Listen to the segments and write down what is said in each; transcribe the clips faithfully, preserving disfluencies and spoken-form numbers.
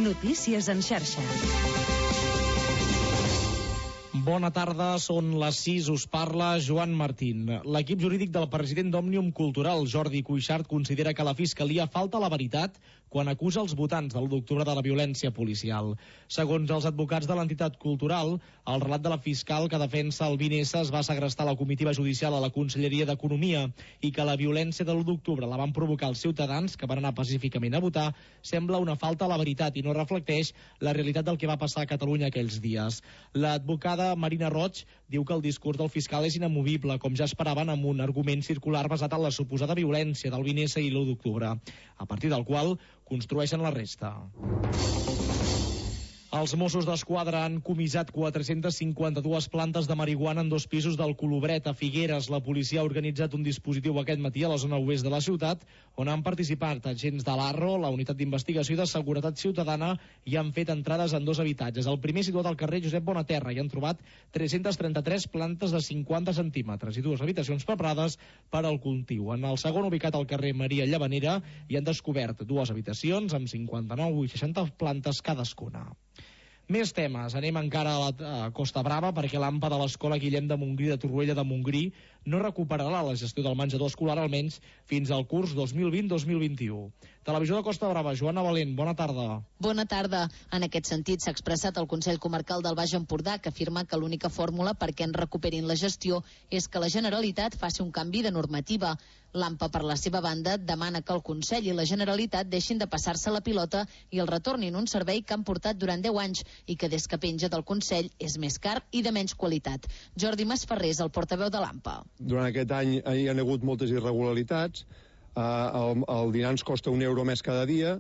Notícies en xarxa. Bona tarda, són les sis, us parla Joan Martín. L'equip jurídic del president d'Òmnium Cultural, Jordi Cuixart, considera que la Fiscalia falta la veritat quan acusa els votants de l'u d'octubre de la violència policial. Segons els advocats de l'entitat cultural, el relat de la fiscal que defensa el vint essa es va segrestar la comitiva judicial a la Conselleria d'Economia i que la violència de l'u d'octubre la van provocar els ciutadans que van anar pacíficament a votar sembla una falta a la veritat i no reflecteix la realitat del que va passar a Catalunya aquells dies. L'advocada Marina Roig diu que el discurs del fiscal és inamovible, com ja esperaven, amb un argument circular basat en la suposada violència del vint essa i l'u d'octubre, a partir del qual construeixen la resta. Els Mossos d'Esquadra han comissat quatre-centes cinquanta-dues plantes de marihuana en dos pisos del Colobret, a Figueres. La policia ha organitzat un dispositiu aquest matí a la zona oest de la ciutat, on han participat agents de l'Arro, la Unitat d'Investigació i de Seguretat Ciutadana, i han fet entrades en dos habitatges. El primer situat al carrer Josep Bonaterra, i han trobat tres-centes trenta-tres plantes de cinquanta centímetres i dues habitacions preparades per al cultiu. En el segon, ubicat al carrer Maria Llavanera, hi han descobert dues habitacions amb cinquanta-nou i seixanta plantes cadascuna. Més temes. Anem encara a la a Costa Brava perquè l'AMPA de l'Escola Guillem de Montgrí de Torroella de Montgrí no recuperarà la gestió del menjador escolar almenys fins al curs dos mil vint dos mil vint-u. Televisió de Costa Brava, Joana Valent, bona tarda. Bona tarda. En aquest sentit s'ha expressat el Consell Comarcal del Baix Empordà, que afirma que l'única fórmula perquè en recuperin la gestió és que la Generalitat faci un canvi de normativa. L'AMPA, per la seva banda, demana que el Consell i la Generalitat deixin de passar-se la pilota i el retornin un servei que han portat durant deu anys i que des que penja del Consell és més car i de menys qualitat. Jordi Masferrer és el portaveu de l'AMPA. Durant aquest any hi ha hagut moltes irregularitats, uh, el, el dinar ens costa un euro més cada dia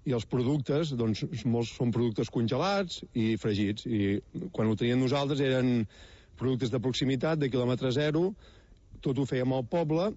i els productes, doncs, molts són productes congelats i fregits, i quan ho teníem nosaltres eren productes de proximitat, de quilòmetre zero, tot ho fèiem al poble,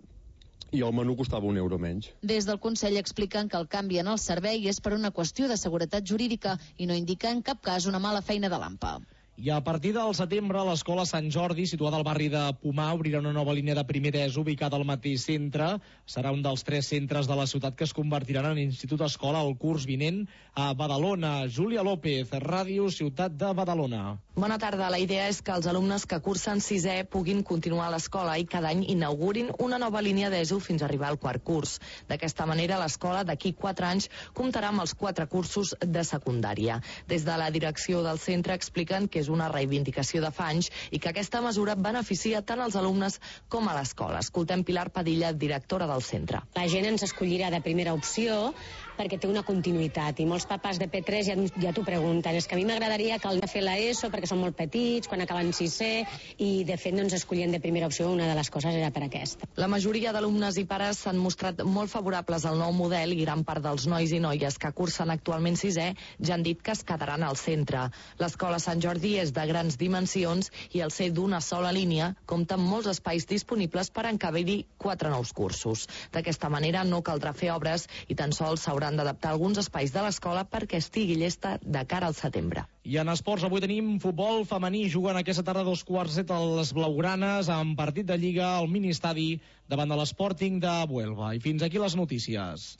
i el menú costava un euro menys. Des del Consell expliquen que el canvi en el servei és per una qüestió de seguretat jurídica i no indica en cap cas una mala feina de l'AMPA. I a partir del setembre, l'Escola Sant Jordi, situada al barri de Pomar, obrirà una nova línia de primer d'ESO ubicada al mateix centre. Serà un dels tres centres de la ciutat que es convertiran en institut escola el curs vinent a Badalona. Júlia López, Ràdio Ciutat de Badalona. Bona tarda. La idea és que els alumnes que cursen sisè puguin continuar a l'escola i cada any inaugurin una nova línia d'ESO fins a arribar al quart curs. D'aquesta manera, l'escola d'aquí quatre anys comptarà amb els quatre cursos de secundària. Des de la direcció del centre expliquen que és una reivindicació de fa anys i que aquesta mesura beneficia tant als alumnes com a l'escola. Escoltem Pilar Padilla, directora del centre. La gent ens escollirà de primera opció perquè té una continuïtat i molts papàs de P tres ja, ja t'ho pregunten. És que a mi m'agradaria que el de fer l'ESO perquè són molt petits, quan acaben sisè, i de fet no ens escollien de primera opció, una de les coses era per aquesta. La majoria d'alumnes i pares s'han mostrat molt favorables al nou model i gran part dels nois i noies que cursen actualment sisè ja han dit que es quedaran al centre. L'escola Sant Jordi és de grans dimensions i al ser d'una sola línia compta amb molts espais disponibles per encabir-hi quatre nous cursos. D'aquesta manera no caldrà fer obres i tan sols s'hauran d'adaptar alguns espais de l'escola perquè estigui llesta de cara al setembre. I en esports avui tenim futbol femení. Juguen aquesta tarda dos quarts set a les blaugranes amb partit de Lliga al mini-estadi davant de l'Sporting de Huelva. I fins aquí les notícies.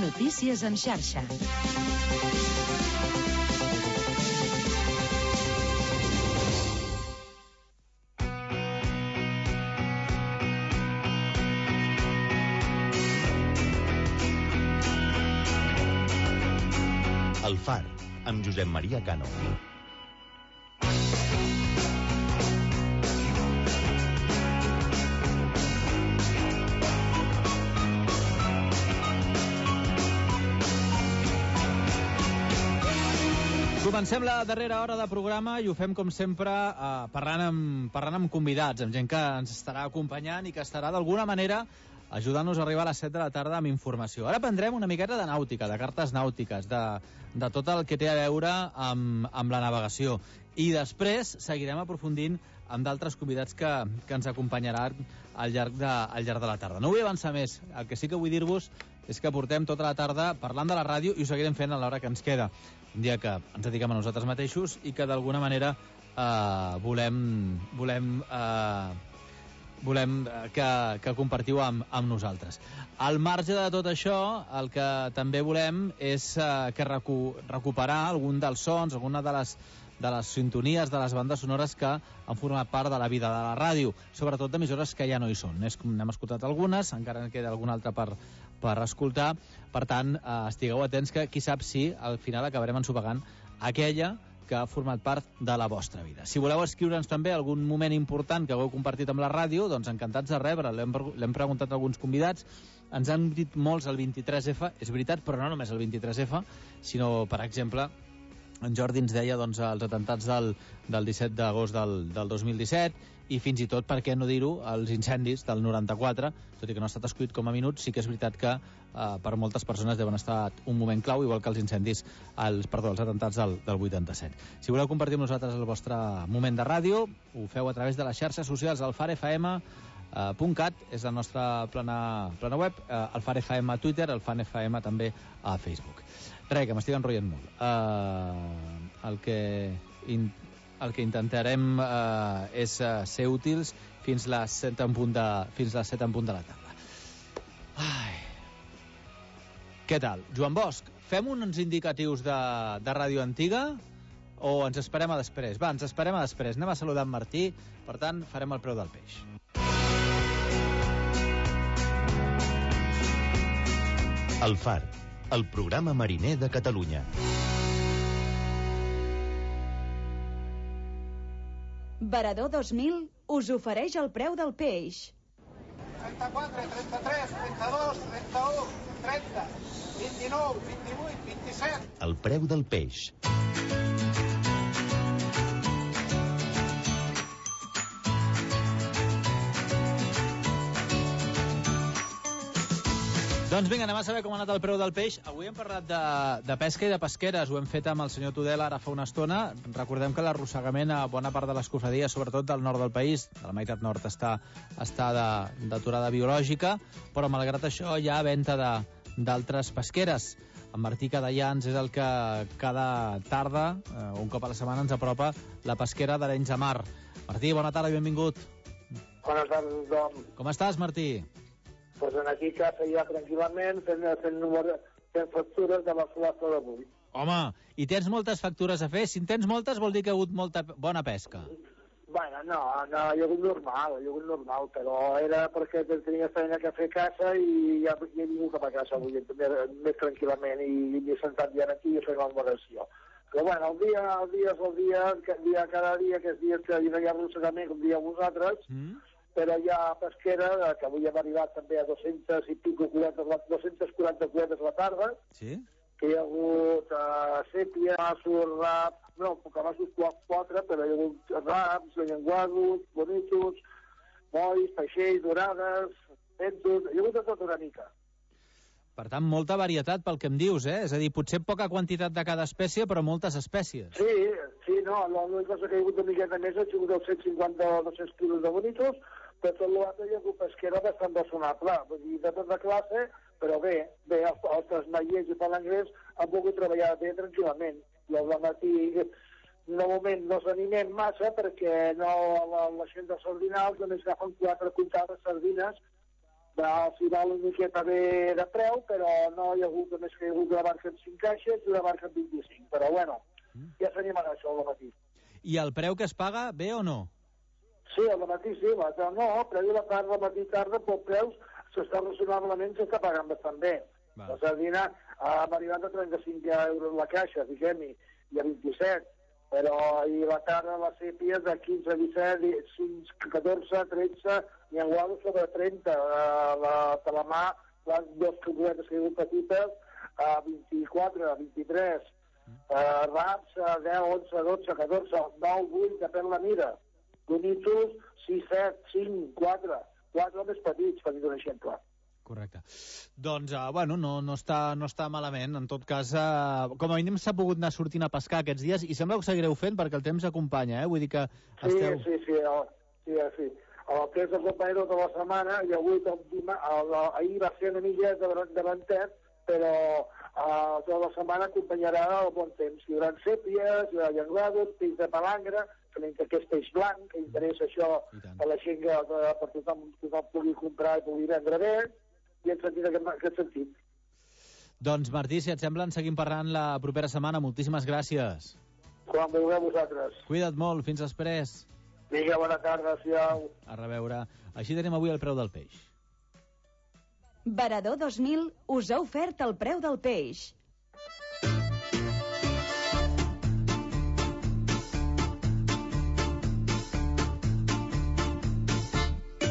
Notícies en xarxa. El Far, amb Josep Maria Cano. Comencem la darrera hora de programa i ho fem, com sempre, eh, parlant, amb, parlant amb convidats, amb gent que ens estarà acompanyant i que estarà d'alguna manera ajudant-nos a arribar a les set de la tarda amb informació. Ara prendrem una miqueta de nàutica, de cartes nàutiques, de, de tot el que té a veure amb, amb la navegació. I després seguirem aprofundint amb d'altres convidats que, que ens acompanyaran al llarg, de, al llarg de la tarda. No vull avançar més. El que sí que vull dir-vos és que portem tota la tarda parlant de la ràdio i ho seguirem fent a l'hora que ens queda. Un dia que ens dediquem a nosaltres mateixos i que d'alguna manera eh, volem, volem eh, volem que, que compartiu amb, amb nosaltres. Al marge de tot això, el que també volem és uh, que recu recuperar algun dels sons, alguna de les, de les sintonies, de les bandes sonores que han format part de la vida de la ràdio, sobretot d'emissores que ja no hi són. N'hem escoltat algunes, encara en queda alguna altra per, per escoltar. Per tant, uh, estigueu atents que qui sap si al final acabarem ensopegant aquella que ha format part de la vostra vida. Si voleu escriure'ns també algun moment important que hagueu compartit amb la ràdio, doncs encantats de rebre. L'hem preguntat a alguns convidats, ens han dit molts el vint-i-tres efa, és veritat, però no només el vint-i-tres efa, sinó, per exemple, en Jordi ens deia doncs, els atemptats del, del disset d'agost del, del dos mil disset, i fins i tot, per què no dir-ho, els incendis del noranta-quatre, tot i que no ha estat escollit com a minut, sí que és veritat que eh, per moltes persones deuen estar un moment clau, igual que els incendis, els, perdó, els atemptats del, del vuitanta-set. Si voleu compartir amb nosaltres el vostre moment de ràdio, ho feu a través de les xarxes socials al far f m punt cat, és la nostra plana, plana web, eh, el far f m a Twitter, el fan f m també a Facebook. Res, que m'estic enrotllant molt. Eh, el que... In... El que intentarem eh, és eh, ser útils fins les set en punt de, fins les set en punt de la tarda. Ai. Què tal? Joan Bosch, fem uns indicatius de, de ràdio antiga o ens esperem a després? Va, ens esperem a després. Anem a saludar en Martí, per tant, farem el preu del peix. El Far, el programa mariner de Catalunya. Varador dos mil us ofereix el preu del peix. trenta-quatre, trenta-tres, trenta-dos, trenta-u, trenta, vint-i-nou, vint-i-vuit, vint-i-set... El preu del peix. Doncs vinga, anem a saber com ha anat el preu del peix. Avui hem parlat de, de pesca i de pesqueres. Ho hem fet amb el senyor Tudela ara fa una estona. Recordem que l'arrossegament a bona part de les cofradies, sobretot del nord del país, de la meitat nord, està, està d'aturada biològica, però malgrat això hi ha venda d'altres pesqueres. En Martí Cadellans és el que cada tarda, eh, un cop a la setmana, ens apropa la pesquera d'Arenys de Mar. Martí, bona tarda i benvingut. Bona tarda, tothom. Com estàs, Martí? Pues en aquí a casa ja tranquil·lament fent, fent, número, fent factures de la flota d'avui. Home, i tens moltes factures a fer? Si en tens moltes vol dir que ha hagut molta bona pesca. Bueno, no, no, hi ha hagut normal, hi ha hagut normal, però era perquè tenia feina que fer a casa i ja, ja he vingut cap a casa avui, més, més tranquil·lament, i m'he sentat ja aquí i fent la moderació. Però bueno, el dia, el dia és el dia, el dia cada dia, que és dies que no hi ha arrossegament, com dieu vosaltres, mm. però hi ha pesquera, que avui hem arribat també a dos-cents i pico cubetes, dos-cents quaranta cubetes a la tarda, sí? Que hi ha hagut uh, sèpia, masos, rap, no, cabassos quatre, però hi ha hagut raps, llenguados, bonitos, molls, peixells, dorades, pentos, hi ha hagut de tot una mica. Per tant, molta varietat pel que em dius, eh? És a dir, potser poca quantitat de cada espècie, però moltes espècies. Sí, sí, no, l'única cosa que hi ha hagut una miqueta més ha sigut els cent cinquanta o dos-cents quilos de bonitos, però tot l'altre hi ha hagut pesquera bastant razonable, vull dir, de tota classe, però bé, bé, els, els trasmaiers i palangrers han pogut treballar bé tranquil·lament. I al matí, de moment, no s'animem massa perquè no, la, la gent dels sardinals només agafen quatre comptades sardines. Al final una miqueta bé de preu, però no hi ha hagut, només que hi ha hagut una barca amb cinc caixes i una barca amb vint-i-cinc. Però bueno, ja s'animarà això al matí. I el preu que es paga, bé o no? Sí, al matí sí, però no, preu de la tarda, al matí tarda, per preus s'està raonablement, s'està pagant bastant bé. Va. La sardina ha arribat a trenta-cinc euros la caixa, diguem-hi, i a vint-i-set. Però i la tarda la sèpia de quinze, disset, catorze, tretze, i en guado sobre trenta. Uh, la talamà, les dues cubetes que hi ha hagut petites, a vint-i-quatre, a vint-i-tres. Uh, raps, a deu, onze, dotze, catorze, nou, vuit, depèn la mira. Bonitos, sis, set, cinc, quatre. Quatre més petits, per dir un exemple. Correcte. Doncs, uh, bueno, no, no, està, no està malament. En tot cas, uh, com a mínim s'ha pogut anar sortint a pescar aquests dies i sembla que ho seguireu fent perquè el temps acompanya, eh? Vull dir que esteu... Sí, sí, sí. El, sí, sí. El temps acompanya tota la setmana i avui, el, el, el, ahir va ser una mica de davantet, però Uh, tota la setmana acompanyarà el bon temps. Hi haurà sèpies, hi haurà llenguados, peix de palangre, que és peix blanc, que interessa això a la gent que per tothom, tothom pugui comprar i pugui vendre bé, i en sentit, aquest, aquest sentit. Doncs Martí, si et sembla, en seguim parlant la propera setmana. Moltíssimes gràcies. Quan vulgueu vosaltres. Cuida't molt, fins després. Vinga, bona tarda, siau. A reveure. Així tenim avui el preu del peix. Varador dos mil us ha ofert el preu del peix.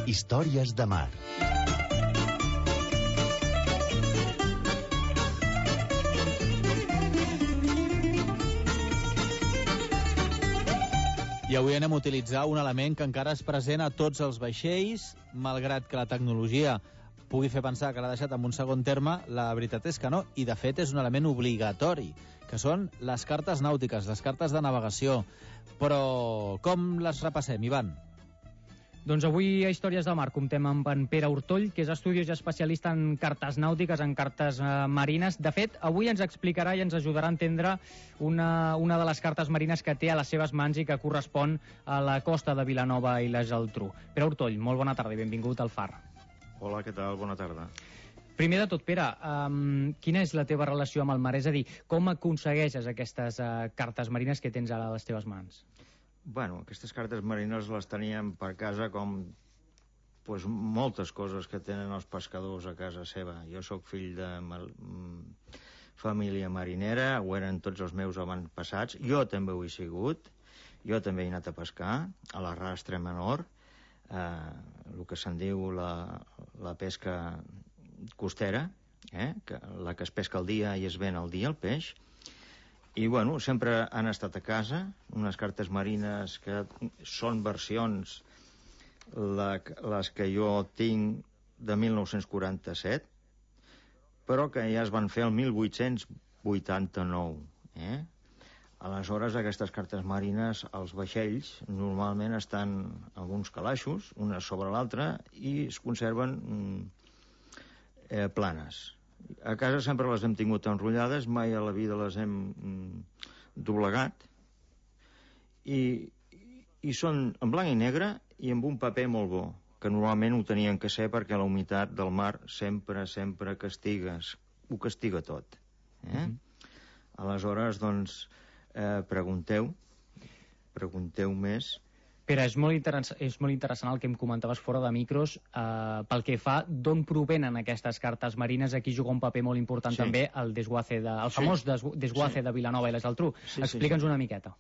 Històries de mar. I avui anem a utilitzar un element que encara és present a tots els vaixells, malgrat que la tecnologia pugui fer pensar que l'ha deixat en un segon terme, la veritat és que no, i de fet és un element obligatori, que són les cartes nàutiques, les cartes de navegació. Però com les repassem, Ivan? Doncs avui a Històries del Mar comptem amb en Pere Hortoll, que és estudiós i especialista en cartes nàutiques, en cartes eh, marines. De fet, avui ens explicarà i ens ajudarà a entendre una, una de les cartes marines que té a les seves mans i que correspon a la costa de Vilanova i la Geltrú. Pere Hortoll, molt bona tarda i benvingut al Far. Hola, què tal? Bona tarda. Primer de tot, Pere, um, quina és la teva relació amb el mar? És a dir, com aconsegueixes aquestes uh, cartes marines que tens ara a les teves mans? Bueno, aquestes cartes marines les teníem per casa com pues, moltes coses que tenen els pescadors a casa seva. Jo sóc fill de mal, família marinera, ho eren tots els meus avantpassats. Jo també ho he sigut. Jo també he anat a pescar a la rastra menor, eh, el que se'n diu la, la pesca costera, eh, que, la que es pesca al dia i es ven al dia, el peix. I, bueno, sempre han estat a casa, unes cartes marines que són versions, la, les que jo tinc de mil nou-cents quaranta-set, però que ja es van fer el mil vuit-cents vuitanta-nou. Eh? Aleshores, aquestes cartes marines, els vaixells, normalment estan en uns calaixos, una sobre l'altra, i es conserven eh, planes. A casa sempre les hem tingut enrotllades, mai a la vida les hem mm, doblegat, i, i són en blanc i negre i amb un paper molt bo, que normalment ho tenien que ser perquè la humitat del mar sempre, sempre castigues, ho castiga tot. Eh? Mm-hmm. Aleshores, doncs, eh, pregunteu, pregunteu més. Pere, és molt, és molt interessant el que em comentaves fora de micros, eh, pel que fa d'on provenen aquestes cartes marines. Aquí juga un paper molt important, sí, també el desguace, de, el famós sí. desguace sí. de Vilanova i la Geltrú. Sí, Explica'ns sí, sí. una miqueta.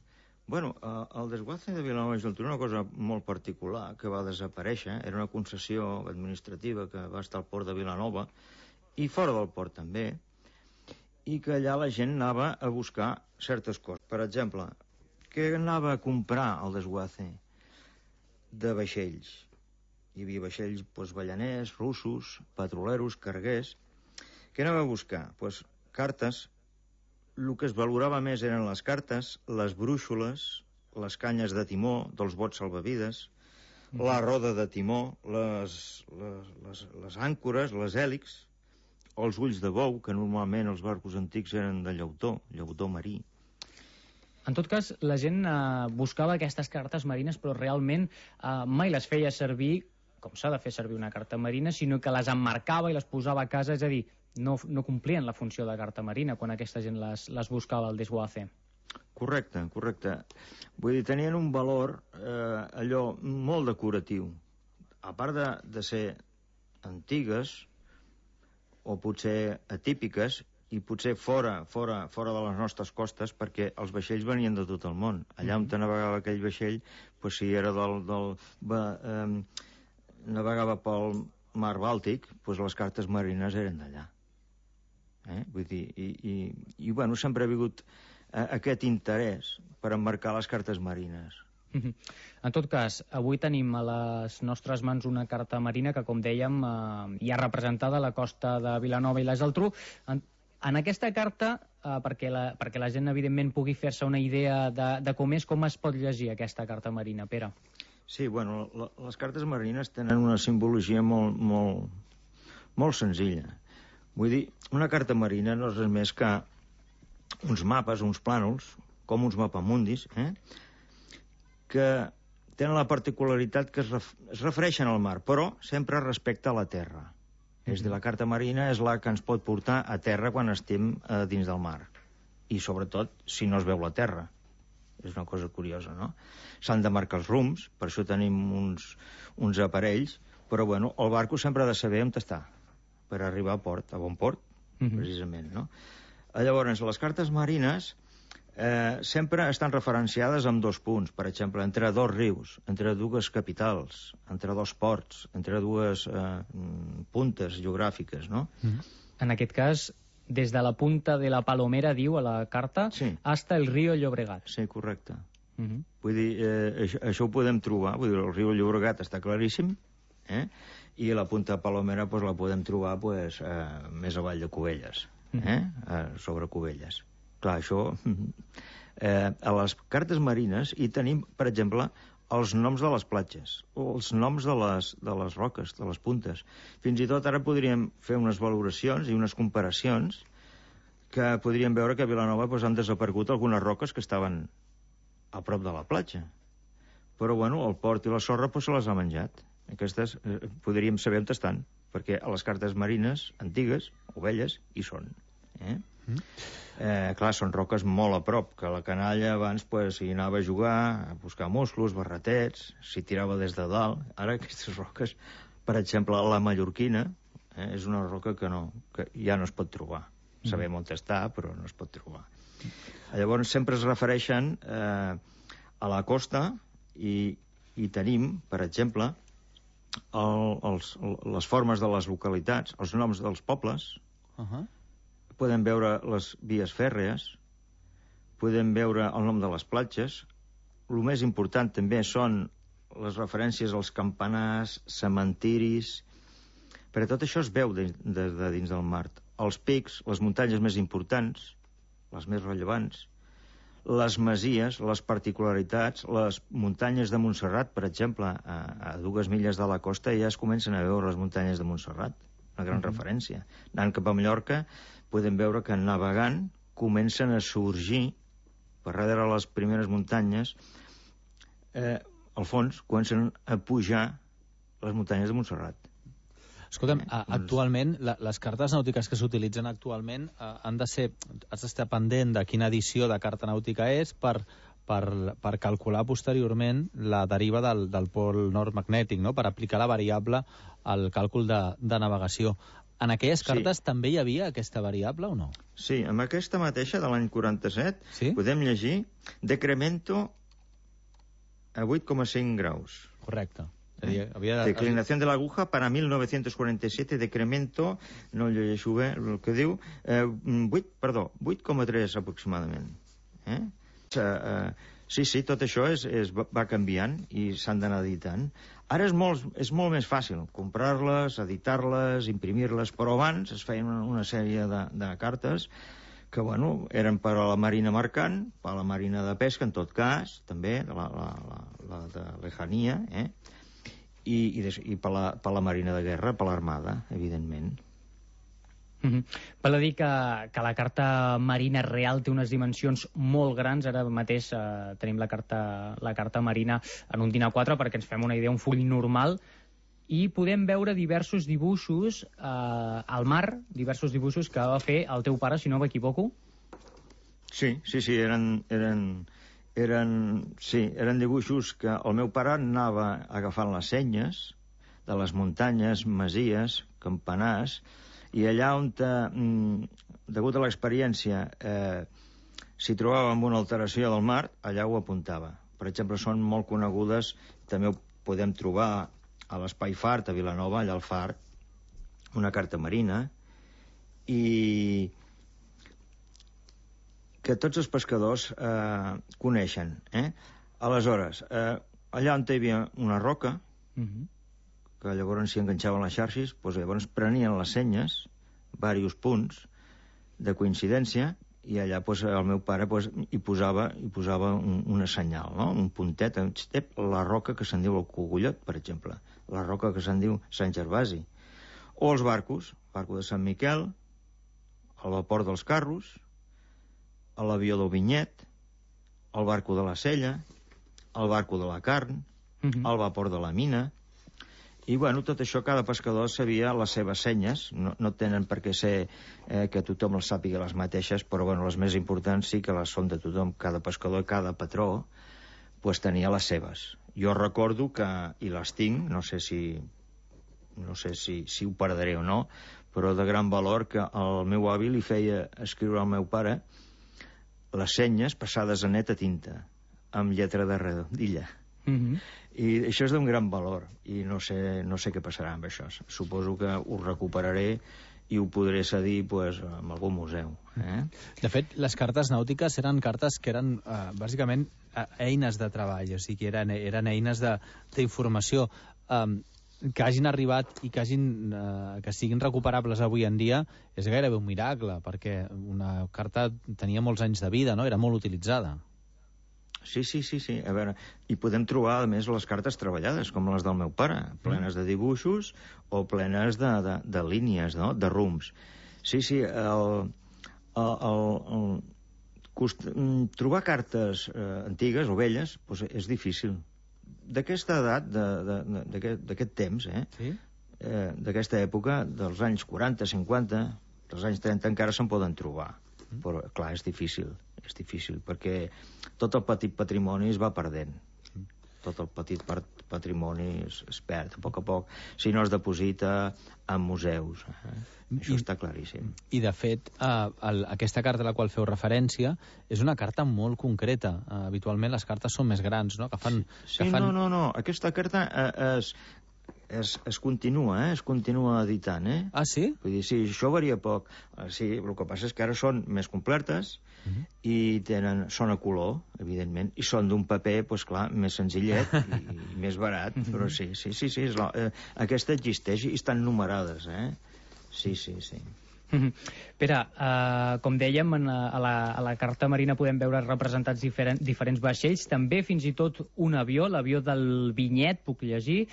Bueno, eh, el desguace de Vilanova i la Geltrú és una cosa molt particular que va desaparèixer. Era una concessió administrativa que va estar al port de Vilanova i fora del port també, i que allà la gent anava a buscar certes coses. Per exemple, què anava a comprar el desguace? De vaixells. Hi havia vaixells doncs, ballaners, russos, petroleros, carguers. Què anava a buscar? Pues, cartes. El que es valorava més eren les cartes, les brúixoles, les canyes de timó dels bots salvavides, mm. la roda de timó, les, les, les, les àncores, les hèlix, els ulls de bou, que normalment els barcos antics eren de llautó, llautó marí. En tot cas, la gent eh, buscava aquestes cartes marines, però realment eh, mai les feia servir com s'ha de fer servir una carta marina, sinó que les emmarcava i les posava a casa, és a dir, no, no complien la funció de carta marina quan aquesta gent les, les buscava al desguace. Correcte, correcte. Vull dir, tenien un valor eh, allò molt decoratiu. A part de, de ser antigues, o potser atípiques, i potser fora, fora, fora de les nostres costes, perquè els vaixells venien de tot el món. Allà on navegava aquell vaixell, pues, si era del... del va, eh, navegava pel mar Bàltic, pues, les cartes marines eren d'allà. Eh? Vull dir, i, i, i bueno, sempre ha hagut eh, aquest interès per emmarcar les cartes marines. En tot cas, avui tenim a les nostres mans una carta marina que, com dèiem, eh, hi ha representada a la costa de Vilanova i la Geltrú. En, en aquesta carta, eh, perquè, la, perquè la gent, evidentment, pugui fer-se una idea de, de com és, com es pot llegir aquesta carta marina, Pere? Sí, bueno, la, les cartes marines tenen una simbologia molt, molt, molt senzilla. Vull dir, una carta marina no és res més que uns mapes, uns plànols, com uns mapamundis, eh? que tenen la particularitat que es, ref es refereixen al mar, però sempre respecte a la terra. Mm-hmm. És a dir, la carta marina és la que ens pot portar a terra quan estem eh, dins del mar. I sobretot si no es veu la terra. És una cosa curiosa, no? S'han de marcar els rums, per això tenim uns, uns aparells, però bueno, el barco sempre ha de saber on està, per arribar a port, a bon port, mm-hmm. precisament, no? Llavors, les cartes marines eh, sempre estan referenciades amb dos punts, per exemple, entre dos rius, entre dues capitals, entre dos ports, entre dues eh, puntes geogràfiques, no? Mm-hmm. En aquest cas, des de la punta de la Palomera, diu a la carta, sí. hasta el riu Llobregat. Sí, correcte. Mm-hmm. Vull dir, eh, això, això ho podem trobar, vull dir, el riu Llobregat està claríssim, eh? I la punta de Palomera pues, la podem trobar pues, eh, més avall de Cubelles, eh? eh, sobre Cubelles. Clar, això... Eh, a les cartes marines hi tenim, per exemple, els noms de les platges, o els noms de les, de les roques, de les puntes. Fins i tot ara podríem fer unes valoracions i unes comparacions que podríem veure que a Vilanova pues, han desaparegut algunes roques que estaven a prop de la platja. Però, bueno, el port i la sorra pues, se les ha menjat. Aquestes eh, podríem saber on estan, perquè a les cartes marines antigues, o velles, hi són. Eh? Mm. Eh, clar, són roques molt a prop, que la canalla abans pues, hi anava a jugar, a buscar musclos, barretets, s'hi tirava des de dalt. Ara aquestes roques, per exemple, la mallorquina, eh, és una roca que, no, que ja no es pot trobar. Mm. Sabem on està, però no es pot trobar. Llavors sempre es refereixen eh, a la costa i, i tenim, per exemple, El, els, les formes de les localitats, els noms dels pobles, uh-huh. podem veure les vies fèrrees, podem veure el nom de les platges. El més important també són les referències als campanars, cementiris, perquè tot això es veu de, de, de dins del mar. Els pics, les muntanyes més importants, les més rellevants, les masies, les particularitats, les muntanyes de Montserrat, per exemple, a, a dues milles de la costa ja es comencen a veure les muntanyes de Montserrat, una gran uh-huh. referència. Anant cap a Mallorca, podem veure que navegant comencen a sorgir, per darrere les primeres muntanyes, eh, al fons comencen a pujar les muntanyes de Montserrat. Escolta'm, eh, actualment, la, les cartes nàutiques que s'utilitzen actualment eh, han de ser, has d'estar pendent de quina edició de carta nàutica és per, per, per calcular posteriorment la deriva del, del pol nord magnètic, no? Per aplicar la variable al càlcul de, de navegació. En aquelles cartes sí. també hi havia aquesta variable o no? Sí, amb aquesta mateixa de l'any quaranta-set sí? podem llegir decremento a vuit coma cinc graus. Correcte. Eh? Había... Declinación de la aguja para mil novecientos quaranta i set, decremento, no llegeixo bé el que diu, eh, vuit, perdó, vuit coma tres aproximadament. Eh? Eh, eh, sí, sí, tot això és, és, va canviant i s'han d'anar editant. Ara és molt, és molt més fàcil comprar-les, editar-les, imprimir-les, però abans es feien una, una sèrie de, de cartes que, bueno, eren per a la marina mercant, per a la marina de pesca, en tot cas, també, la, la, la, la de lejania, eh? i, i, des, i per, la, per la marina de guerra, per l'armada, evidentment. Mm-hmm. Val a dir que, que la carta marina real té unes dimensions molt grans. Ara mateix eh, tenim la carta, la carta marina en un dinar quatre perquè ens fem una idea, un full normal, i podem veure diversos dibuixos eh, al mar, diversos dibuixos que va fer el teu pare, si no m'equivoco. Sí, sí, sí, eren... eren... Eren, sí, eren dibuixos que el meu pare anava agafant les senyes de les muntanyes, masies, campanars, i allà on, eh, degut a l'experiència, eh, s'hi trobava amb una alteració del mar, allà ho apuntava. Per exemple, són molt conegudes, també ho podem trobar a l'Espai Fart, a Vilanova, allà al Fart, una carta marina, i... que tots els pescadors eh, coneixen. Eh? Aleshores, eh, allà on hi havia una roca, uh-huh. que llavors s'hi enganxaven les xarxes, doncs llavors prenien les senyes, diversos punts de coincidència, i allà doncs, el meu pare doncs, hi posava, hi posava un, una senyal, no? Un puntet, la roca que se'n diu el Cogullot, per exemple, la roca que se'n diu Sant Gervasi, o els barcos, el barco de Sant Miquel, el vapor dels carros, l'avió del vinyet, el barco de la sella, el barco de la carn, uh-huh. el vapor de la mina. I, bueno, tot això, cada pescador sabia les seves senyes. No, no tenen per què ser eh, que tothom les sàpiga les mateixes, però, bueno, les més importants sí que les són de tothom. Cada pescador i cada patró pues, tenia les seves. Jo recordo que, i les tinc, no sé si no sé si, si ho perdré o no, però de gran valor, que el meu avi li feia escriure al meu pare les senyes passades a neta tinta, amb lletra de redondilla. Mm-hmm. I això és d'un gran valor, i no sé, no sé què passarà amb això. Suposo que ho recuperaré i ho podré cedir pues, en algun museu. Eh? De fet, les cartes nàutiques eren cartes que eren, eh, bàsicament, eines de treball, o sigui, eren, eren eines d'informació. Um, que hagin arribat i que, hagin, eh, que siguin recuperables avui en dia és gairebé un miracle, perquè una carta tenia molts anys de vida, no? Era molt utilitzada. Sí, sí, sí, sí. A veure, i podem trobar, a més, les cartes treballades, com les del meu pare, plenes de dibuixos o plenes de, de, de línies, no? De rums. Sí, sí, el, el, el, el, cost, trobar cartes eh, antigues o velles doncs és difícil. D'aquesta edat, d'aquest temps, eh? Sí? eh, d'aquesta època, dels anys quaranta, cinquanta, dels anys trenta encara se'n poden trobar. Mm. Però, clar, és difícil. És difícil, perquè tot el petit patrimoni es va perdent. Mm. Tot el petit patrimoni es, es perd, a poc a poc, si no es deposita en museus. Eh? Això I, està claríssim. I, de fet, eh, el, aquesta carta a la qual feu referència és una carta molt concreta. Eh, habitualment les cartes són més grans, no? Que fan, sí, que fan... no, no, no. Aquesta carta eh, es, es, es continua, eh? Es continua editant, eh? Ah, sí? Vull dir, sí, això varia poc. Sí, el que passa és que ara són més completes, uh-huh. i tenen, són a color, evidentment, i són d'un paper, doncs clar, més senzillet i, i més barat, uh-huh. però sí, sí, sí, sí és la, eh, aquesta existeix i estan numerades, eh? Sí, sí, sí. Pere, uh, com dèiem, en, a, la, a la carta marina podem veure representats diferent, diferents vaixells, també fins i tot un avió, l'avió del Vinyet, puc llegir.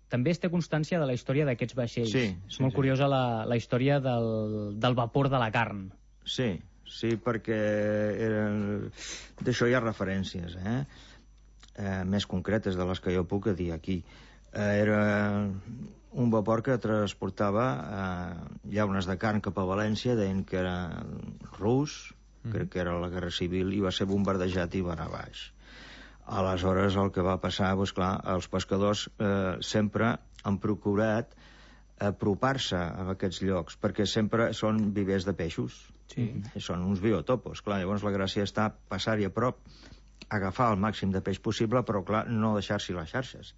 També es té constància de la història d'aquests vaixells. Sí, és sí, molt sí. curiosa la, la història del, del vapor de la carn. Sí, sí, perquè eren... d'això hi ha referències, eh? eh? Més concretes de les que jo puc dir aquí. Eh, era un vapor que transportava eh, llaunes de carn cap a València, deien que era rus, mm. crec que era la Guerra Civil, i va ser bombardejat i va anar baix. Aleshores, el que va passar, doncs clar, els pescadors eh, sempre han procurat apropar-se a aquests llocs, perquè sempre són vivers de peixos. Sí. I són uns biotopos. Clar, llavors la gràcia està passar-hi a prop, agafar el màxim de peix possible, però, clar, no deixar-s'hi les xarxes.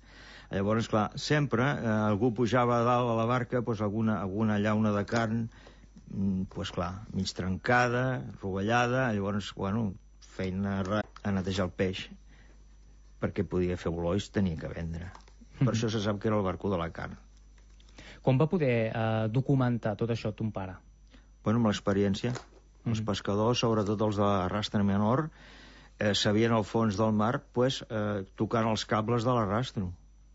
Llavors, clar, sempre eh, algú pujava a dalt a la barca, doncs alguna, alguna llauna de carn, doncs clar, mig trencada, rovellada, llavors, bueno, feina a netejar el peix, perquè podia fer olor i tenia que vendre. Per mm-hmm. això se sap que era el barco de la carn. Com va poder eh, documentar tot això ton pare? Bueno, amb l'experiència. Mm-hmm. Els pescadors, sobretot els de l'arrastre menor, eh, sabien al fons del mar pues, eh, tocant els cables de l'arrastro.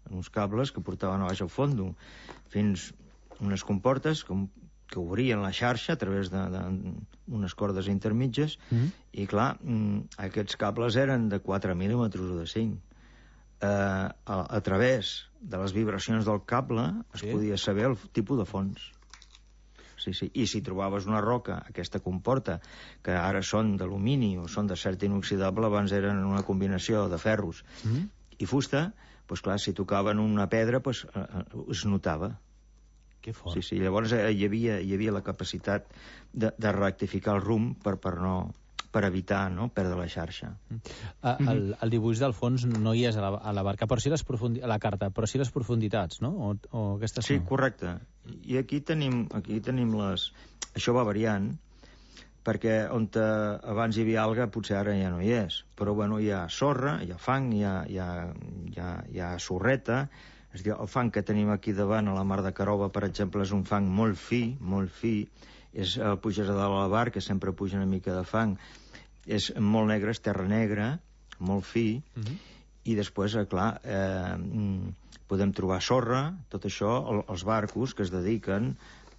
Uns cables que portaven a baix al fondo, fins unes comportes que, que obrien la xarxa a través d'unes cordes intermitges, mm-hmm. i clar, aquests cables eren de quatre mil·límetres o de cinc. Eh, a, a través de les vibracions del cable es sí. podia saber el tipus de fons. Sí, sí. I si trobaves una roca, aquesta comporta, que ara són d'alumini o són d'acer inoxidable, abans eren una combinació de ferros mm-hmm. i fusta, doncs clar, si tocaven una pedra, doncs eh, es notava. Que fort. Sí, sí, llavors eh, hi, havia, hi havia la capacitat de, de rectificar el rumb per, per, no, per evitar no, perdre la xarxa. Mm. Uh, el, el dibuix del fons no hi és a la, a la barca, però sí les profundi- a la carta, però sí les profunditats, no? O, o aquestes sí, no? correcte. I aquí tenim, aquí tenim les... Això va variant, perquè on te, abans hi havia alga potser ara ja no hi és, però bueno, hi ha sorra, hi ha fang, hi ha, hi ha, hi ha, hi ha sorreta. És dir, el fang que tenim aquí davant a la mar de Carova, per exemple, és un fang molt fi, molt fi, és, el puges a dalt a la bar, que sempre puja una mica de fang, és molt negre, és terra negra, molt fi, mm-hmm. i després, eh, clar, eh, podem trobar sorra, tot això, el, els barcos que es dediquen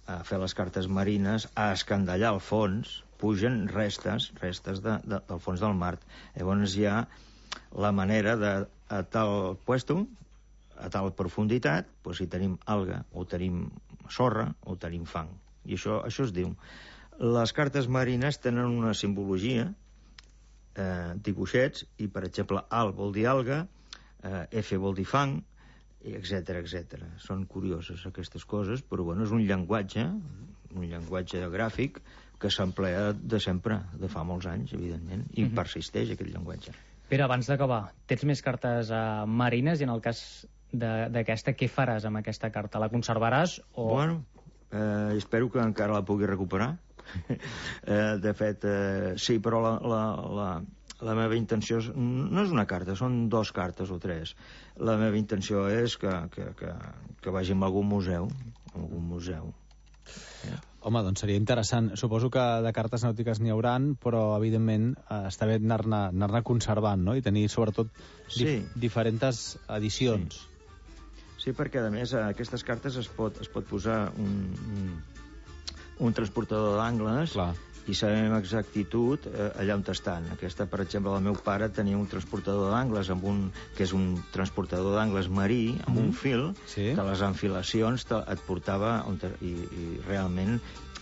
a fer les cartes marines, a escandallar el fons, pugen restes, restes de, de, del fons del mar. Llavors hi ha la manera de, a tal puesto, a tal profunditat, doncs si tenim alga, o tenim sorra, o tenim fang. I això, això es diu. Les cartes marines tenen una simbologia, eh, dibuixets, i per exemple, al vol dir alga, eh, F vol dir fang, etcètera, etcètera. Són curioses aquestes coses, però bueno, és un llenguatge, un llenguatge gràfic que s'emplea de sempre, de fa molts anys, evidentment, i mm-hmm. persisteix aquest llenguatge. Pere, abans d'acabar, tens més cartes uh, marines i en el cas d'aquesta, què faràs amb aquesta carta? La conservaràs o...? Bueno, eh, espero que encara la pugui recuperar. eh, de fet, eh, sí, però la, la, la, la meva intenció és, no és una carta, són dos cartes o tres. La meva intenció és que, que, que, que vagi a algun museu, a algun museu. Yeah. Home, doncs seria interessant. Suposo que de cartes nàutiques n'hi hauran, però evidentment eh, està bé anar-ne anar-ne conservant, no? I tenir sobretot dif sí. diferents edicions. Sí. sí, perquè a més aquestes cartes es pot, es pot posar un, un, un transportador d'angles i sabem amb exactitud eh, allà on estan. Aquesta, per exemple, el meu pare tenia un transportador d'angles amb un, que és un transportador d'angles marí amb mm. un fil sí. que les enfilacions te, et portava on te, i, i realment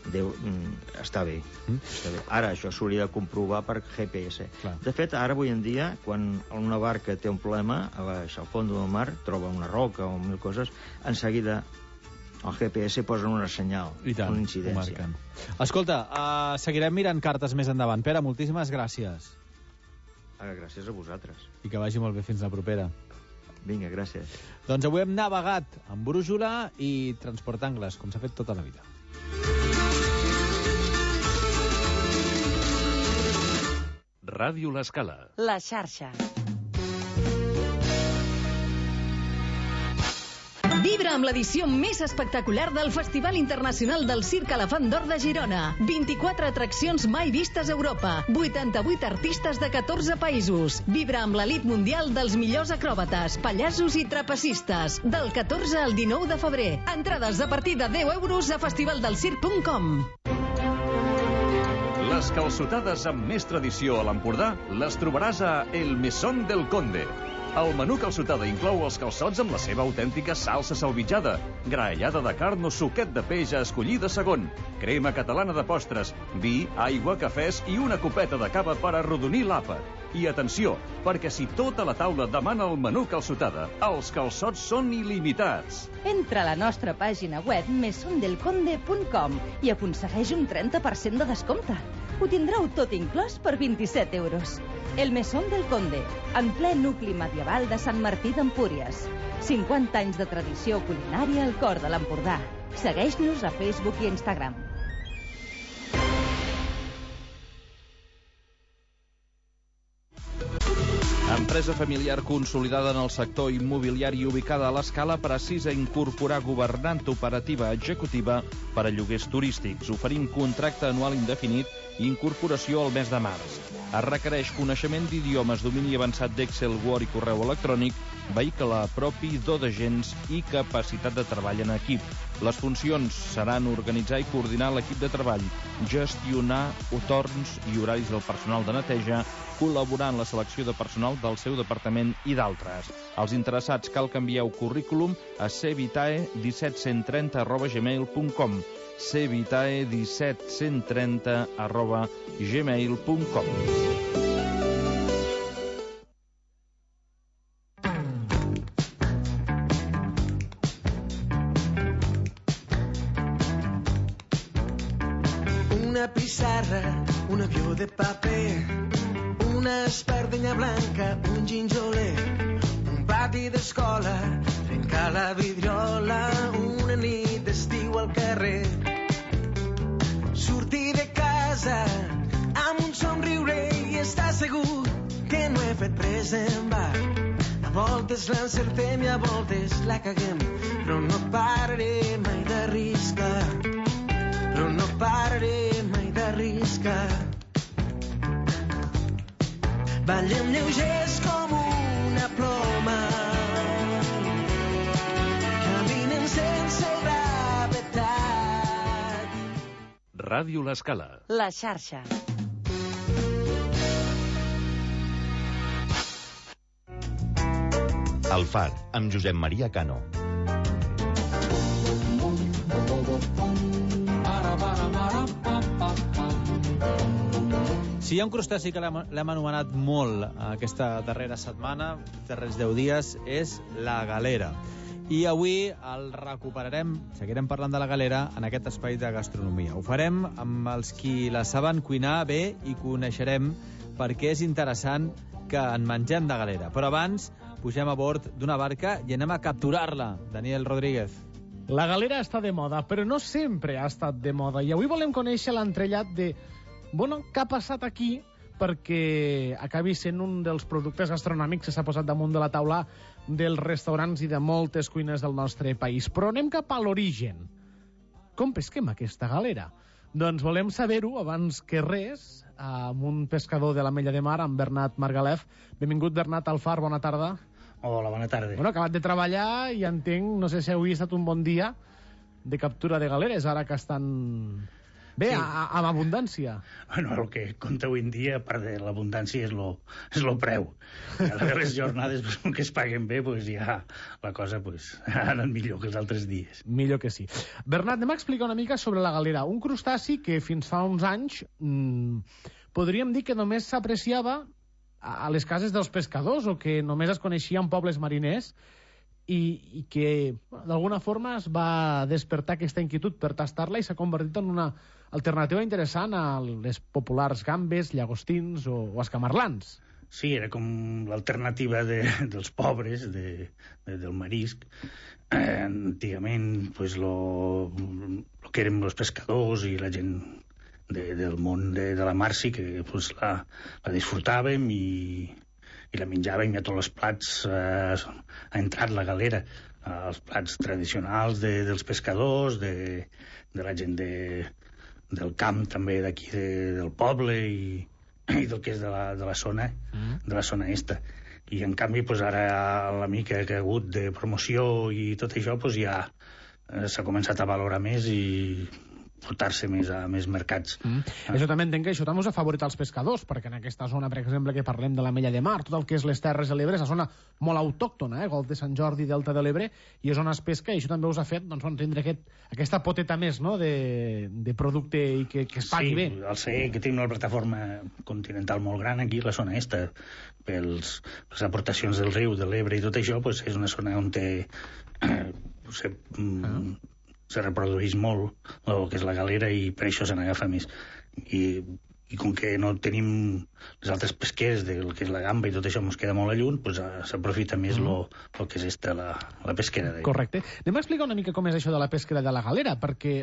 Déu, mm, està, bé, mm. està bé. Ara això s'hauria de comprovar per G P S. Clar. De fet, ara avui en dia, quan una barca té un problema a baix al fons del mar, troba una roca o mil coses, en seguida al G P S posen una senyal, tant, una incidència. Escolta, uh, seguirem mirant cartes més endavant. Pere, moltíssimes gràcies. Ah, gràcies a vosaltres. I que vagi molt bé fins la propera. Vinga, gràcies. Doncs avui hem navegat amb brújula i transportangles, com s'ha fet tota la vida. Ràdio L'Escala. La xarxa. Vibra amb l'edició més espectacular del Festival Internacional del Circ Elefant d'Or de Girona. vint-i-quatre atraccions mai vistes a Europa. vuitanta-vuit artistes de catorze països. Vibra amb l'elit mundial dels millors acròbates, pallassos i trapecistes. Del catorze al dinou de febrer. Entrades a partir de deu euros a festivaldelcirc punt com. Les calçotades amb més tradició a l'Empordà les trobaràs a El Mesón del Conde. El menú calçotada inclou els calçots amb la seva autèntica salsa salvitjada, graellada de carn o suquet de peix a escollir de segon, crema catalana de postres, vi, aigua, cafès i una copeta de cava per arrodonir l'àpat. I atenció, perquè si tota la taula demana el menú calçotada, els calçots són il·limitats. Entra a la nostra pàgina web mesondelconde punt com i aconsegueix un trenta per cent de descompte. Ho tindreu tot inclòs per vint-i-set euros. El Mesón del Conde, en ple nucli medieval de Sant Martí d'Empúries. cinquanta anys de tradició culinària al cor de l'Empordà. Segueix-nos a Facebook i Instagram. Empresa familiar consolidada en el sector immobiliari ubicada a l'Escala precisa incorporar governant operativa executiva per a lloguers turístics, oferint contracte anual indefinit i incorporació al mes de març. Es requereix coneixement d'idiomes, domini avançat d'Excel, Word i correu electrònic, vehicle propi, do d'agents i capacitat de treball en equip. Les funcions seran organitzar i coordinar l'equip de treball, gestionar torns i horaris del personal de neteja, col·laborar en la selecció de personal del seu departament i d'altres. Els interessats cal que envieu currículum a cvitae disset cent trenta arroba gmail punt com cvitae disset cent trenta arroba gmail punt com. Una pissarra, un avió de paper, una espardenya blanca, un ginjoler, un pati d'escola, trencar la vidriola, una nit d'estiu al carrer. Sortir de casa amb un somriure i estar segur que no he fet pres en va. A voltes l'encertem i a voltes la caguem, però no pararé mai d'arriscar, però no pararé mai d'arriscar. Ballem lleugers com una ploma, caminen sense gravetat. Ràdio L'Escala. La xarxa. El Far, amb Josep Maria Cano. Si hi ha un crustaci que l'hem l'hem anomenat molt aquesta darrera setmana, darrers deu dies, és la galera. I avui el recuperarem, seguirem parlant de la galera en aquest espai de gastronomia. Ho farem amb els qui la saben cuinar bé i coneixerem perquè és interessant que en mengem de galera. Però abans pugem a bord d'una barca i anem a capturar-la. Daniel Rodríguez. La galera està de moda, però no sempre ha estat de moda. I avui volem conèixer l'entrellat de... Bueno, què ha passat aquí perquè acabi sent un dels productes gastronòmics que s'ha posat damunt de la taula dels restaurants i de moltes cuines del nostre país. Però anem cap a l'origen. Com pesquem aquesta galera? Doncs volem saber-ho abans que res amb un pescador de l'Ametlla de Mar, amb Bernat Margalef. Benvingut, Bernat Alfar, bona tarda. Hola, bona tarda. Bueno, acabat de treballar i entenc, no sé si avui ha estat un bon dia de captura de galeres, ara que estan bé, sí. a, amb abundància. Bueno, el que compta avui en dia, a part de l'abundància, és lo, és lo preu. A les jornades pues, que es paguen bé, pues, ja la cosa pues, ha anat millor que els altres dies. Millor que sí. Bernat, anem a explicar una mica sobre la galera. Un crustaci que fins fa uns anys mmm, podríem dir que només s'apreciava a les cases dels pescadors o que només es coneixia en pobles mariners i, i que d'alguna forma es va despertar aquesta inquietud per tastar-la i s'ha convertit en una alternativa interessant a les populars gambes, llagostins o, o escamarlans. Sí, era com l'alternativa de, dels pobres, de, de, del marisc. Eh, antigament, pues, lo, lo que érem els pescadors i la gent de, del món de, de la mar sí que pues, la, la disfrutàvem i, i la menjàvem i a tots els plats eh, ha entrat la galera. Eh, els plats tradicionals de, dels pescadors, de, de la gent de, del camp també d'aquí de, del poble i, i del que és de la, de la zona mm. de la zona esta. I en canvi pues, ara la mica que ha hagut de promoció i tot això pues, ja eh, s'ha començat a valorar més i portar-se més a més mercats. Mm. Ah. Això també entenc que això també us ha favorit als pescadors, perquè en aquesta zona, per exemple, que parlem de l'Ametlla de Mar, tot el que és les Terres de l'Ebre, és una zona molt autòctona, eh? Golf de Sant Jordi, Delta de l'Ebre, i és on es pesca, i això també us ha fet doncs, tindre aquest, aquesta poteta més no? de, de producte i que, que es pagui sí, bé. Sí, al ser que tenim una plataforma continental molt gran aquí, la zona esta, pels, les aportacions del riu, de l'Ebre i tot això, pues, és una zona on té... Eh, se, ah. se reprodueix molt el que és la galera i per això se n'agafa més. I, i com que no tenim les altres pesquers del que és la gamba i tot això ens queda molt a lluny, pues, s'aprofita més el mm. que és esta, la, la pesquera. Correcte. Anem a explicar una mica com és això de la pesquera de la galera, perquè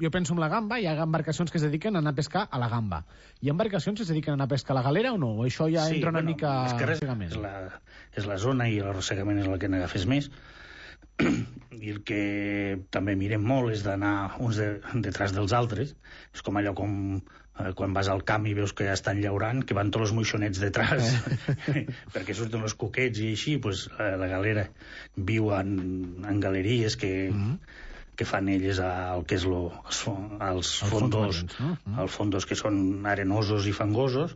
jo penso en la gamba, hi ha embarcacions que es dediquen a anar a pescar a la gamba. Hi ha embarcacions que es dediquen a anar a pescar a la galera o no? O això ja sí, entra una bueno, mica... arrossegament. És la, és la zona i l'arrossegament és el que n'agafes més. I el que també mirem molt és d'anar uns de, detrás dels altres. És com allò com eh, quan vas al camp i veus que ja estan llaurant, que van tots els moixonets detrás perquè surten els cuquets i així, pues, eh, la galera viu en, en galeries que, mm-hmm. que fan elles al que és lo, els, els fondos, fons marins, no? Els fondos que són arenosos i fangosos.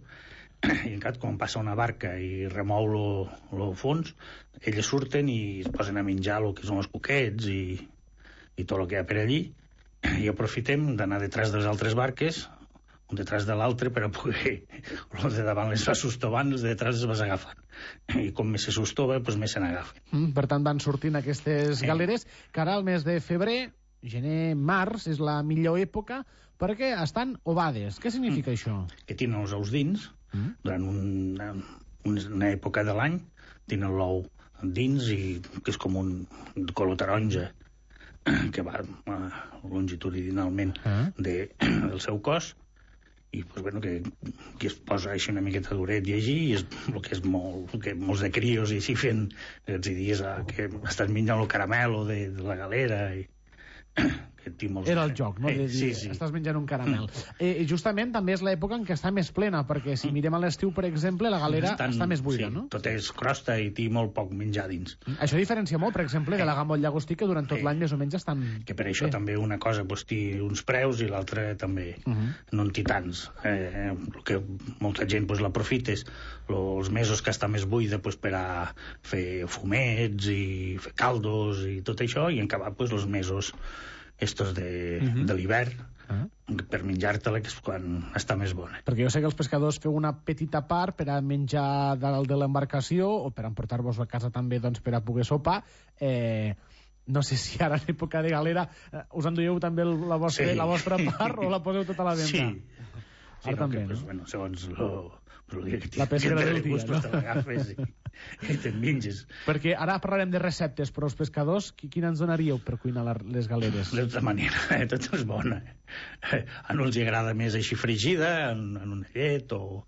I en cap, quan passa una barca i remou el fons, elles surten i es posen a menjar el que són els cuquets i, i tot el que hi ha per allí, i aprofitem d'anar detrás de les altres barques, un detrás de l'altre, per a poder els de davant les va sostovant, els de detrás les vas agafant. I com més se sostova, doncs més se n'agafen. Mm, per tant, van sortint aquestes galeres, que ara al mes de febrer, gener, març, és la millor època, perquè estan ovades. Què significa mm. això? Que tenen els ous dins, mm. durant una, una època de l'any, tenen l'ou dins i que és com un color taronja que va uh, longitudinalment uh. de, del seu cos i pues, bueno, que, que es posa així una miqueta duret i així i és el que és molt, que molts de crios i així fent els dies uh, que estan menjant el caramel de, de la galera i que tinc molts... Era el joc, no? De dir, sí, sí. Estàs menjant un caramel. Eh, justament també és l'època en què està més plena, perquè si mirem a l'estiu, per exemple, la galera Estan, està més buida, sí, no? Tot és crosta i té molt poc menjar dins. Això diferencia molt, per exemple, de la gamma llagostí, que durant tot l'any més o menys estan... Que per això també una cosa pues, té uns preus i l'altra també Uh -huh. no en té tants. Eh, el que molta gent pues, l'aprofita és els mesos que està més buida pues, per a fer fumets i fer caldos i tot això, i en acabar pues, els mesos estos de, uh -huh. de l'hivern, uh -huh. per menjar-te-la, que és quan està més bona. Perquè jo sé que els pescadors feu una petita part per a menjar dalt de l'embarcació o per emportar-vos a casa també doncs, per a poder sopar. Eh, no sé si ara en època de galera eh, us enduieu també el, la, vostra, sí. la vostra part o la poseu tota a la venda. Sí, sí ara no, també, que, no? Pues, bueno, segons lo, lo dia que la pesca del dia, no? Te l'agafes i, i te'n menges. Perquè ara parlarem de receptes, però els pescadors, quina ens donaríeu per cuinar la, les galeres? De tota manera, eh, tot és bona. A uns els agrada més així fregida, en, en una llet, o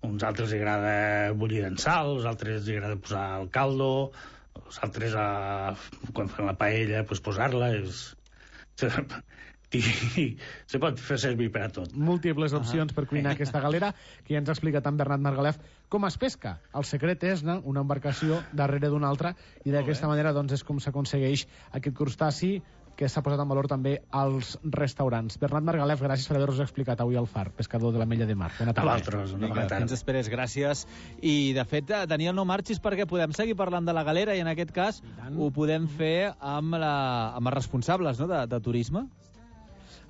uns altres els agrada bullida en sal, els altres els agrada posar el caldo, els altres, a, quan fan la paella, pues, posar-la. És... I se pot fer servir per a tot. Múltiples opcions uh -huh. per cuinar aquesta galera, que ja ens ha explicat en Bernat Margalef com es pesca. El secret és anar una embarcació darrere d'una altra, i d'aquesta manera doncs, és com s'aconsegueix aquest crustaci que s'ha posat en valor també als restaurants. Bernat Margalef, gràcies per haver-nos explicat avui al Far, pescador de l'Ametlla de Mar. Bona tarda. A vosaltres, una bona tarda. Fins esperes, gràcies. I, de fet, Daniel, no marxis perquè podem seguir parlant de la galera i, en aquest cas, ho podem fer amb, la, amb els responsables, no?, de, de turisme.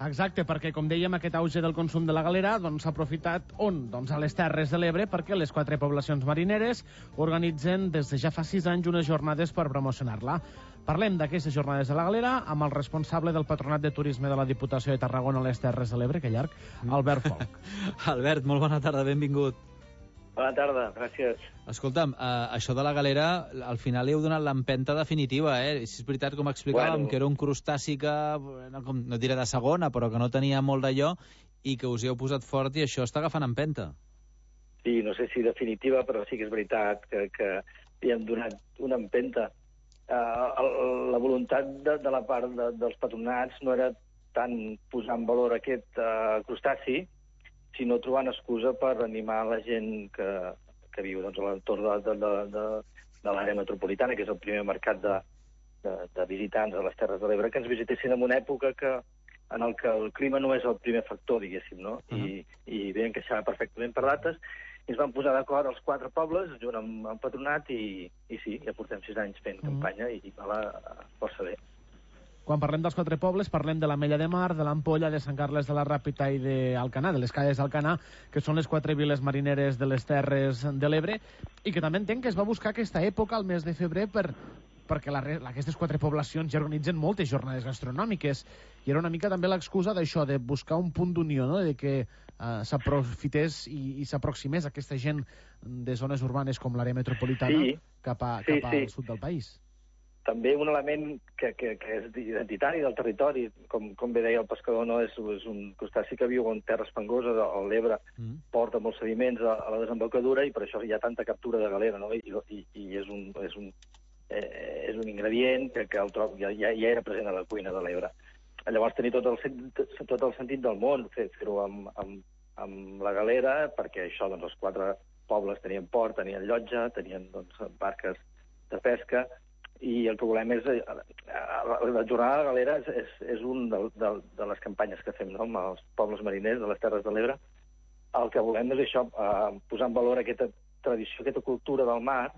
Exacte, perquè, com dèiem, aquest auge del consum de la galera doncs, s'ha aprofitat on? Doncs a les Terres de l'Ebre, perquè les quatre poblacions marineres organitzen des de ja fa sis anys unes jornades per promocionar-la. Parlem d'aquestes jornades de la galera amb el responsable del Patronat de Turisme de la Diputació de Tarragona a les Terres de l'Ebre, que llarg, Albert Folk. Albert, molt bona tarda, benvingut. Bona tarda, gràcies. Escolta'm, eh, això de la galera, al final li heu donat l'empenta definitiva, eh? Si és veritat, com explicàvem, bueno, que era un crustaci que, no, com, no diré de segona, però que no tenia molt d'allò, i que us hi heu posat fort i això està agafant empenta. Sí, no sé si definitiva, però sí que és veritat que, que li hem donat una empenta. Uh, la voluntat de, de la part de, dels patronats no era tant posar en valor aquest uh, crustaci, sinó trobant excusa per animar la gent que, que viu doncs, a l'entorn de, de, de, de, de l'àrea metropolitana, que és el primer mercat de, de, de visitants a les Terres de l'Ebre, que ens visitessin en una època que, en el que el clima no és el primer factor, diguéssim, no? Uh -huh. I, i bé encaixava perfectament per dates, i ens van posar d'acord els quatre pobles, junt amb el patronat, i, i sí, ja portem sis anys fent uh -huh. campanya, i va la, força bé. Quan parlem dels quatre pobles, parlem de l'Ametlla de Mar, de l'Ampolla, de Sant Carles de la Ràpita i d'Alcanar, de les Cales d'Alcanar, que són les quatre viles marineres de les Terres de l'Ebre, i que també entenc que es va buscar aquesta època, al mes de febrer, per, perquè la, aquestes quatre poblacions ja organitzen moltes jornades gastronòmiques, i era una mica també l'excusa d'això, de buscar un punt d'unió, no?, de que uh, s'aprofités i, i s'aproximés aquesta gent de zones urbanes com l'àrea metropolitana sí. cap, a, sí, cap sí. al sud del país. També un element que, que, que és identitari del territori, com, com bé deia el pescador, no? és, és un crustaci que viu en terres fangoses, a l'Ebre, mm. porta molts sediments a, a la desembocadura, i per això hi ha tanta captura de galera, no? I, i, i és, un, és, un, eh, és un ingredient que, que el trob, ja, ja, ja era present a la cuina de l'Ebre. Llavors tenir tot el, tot el sentit del món, fer-ho amb, amb, amb la galera, perquè això, doncs, els quatre pobles tenien port, tenien llotja, tenien doncs, barques de pesca, i el que volem és... La jornada de galera és, és, és un de, de, de les campanyes que fem, no?, amb els pobles mariners de les Terres de l'Ebre. El que volem és això, eh, posar en valor aquesta tradició, aquesta cultura del mar,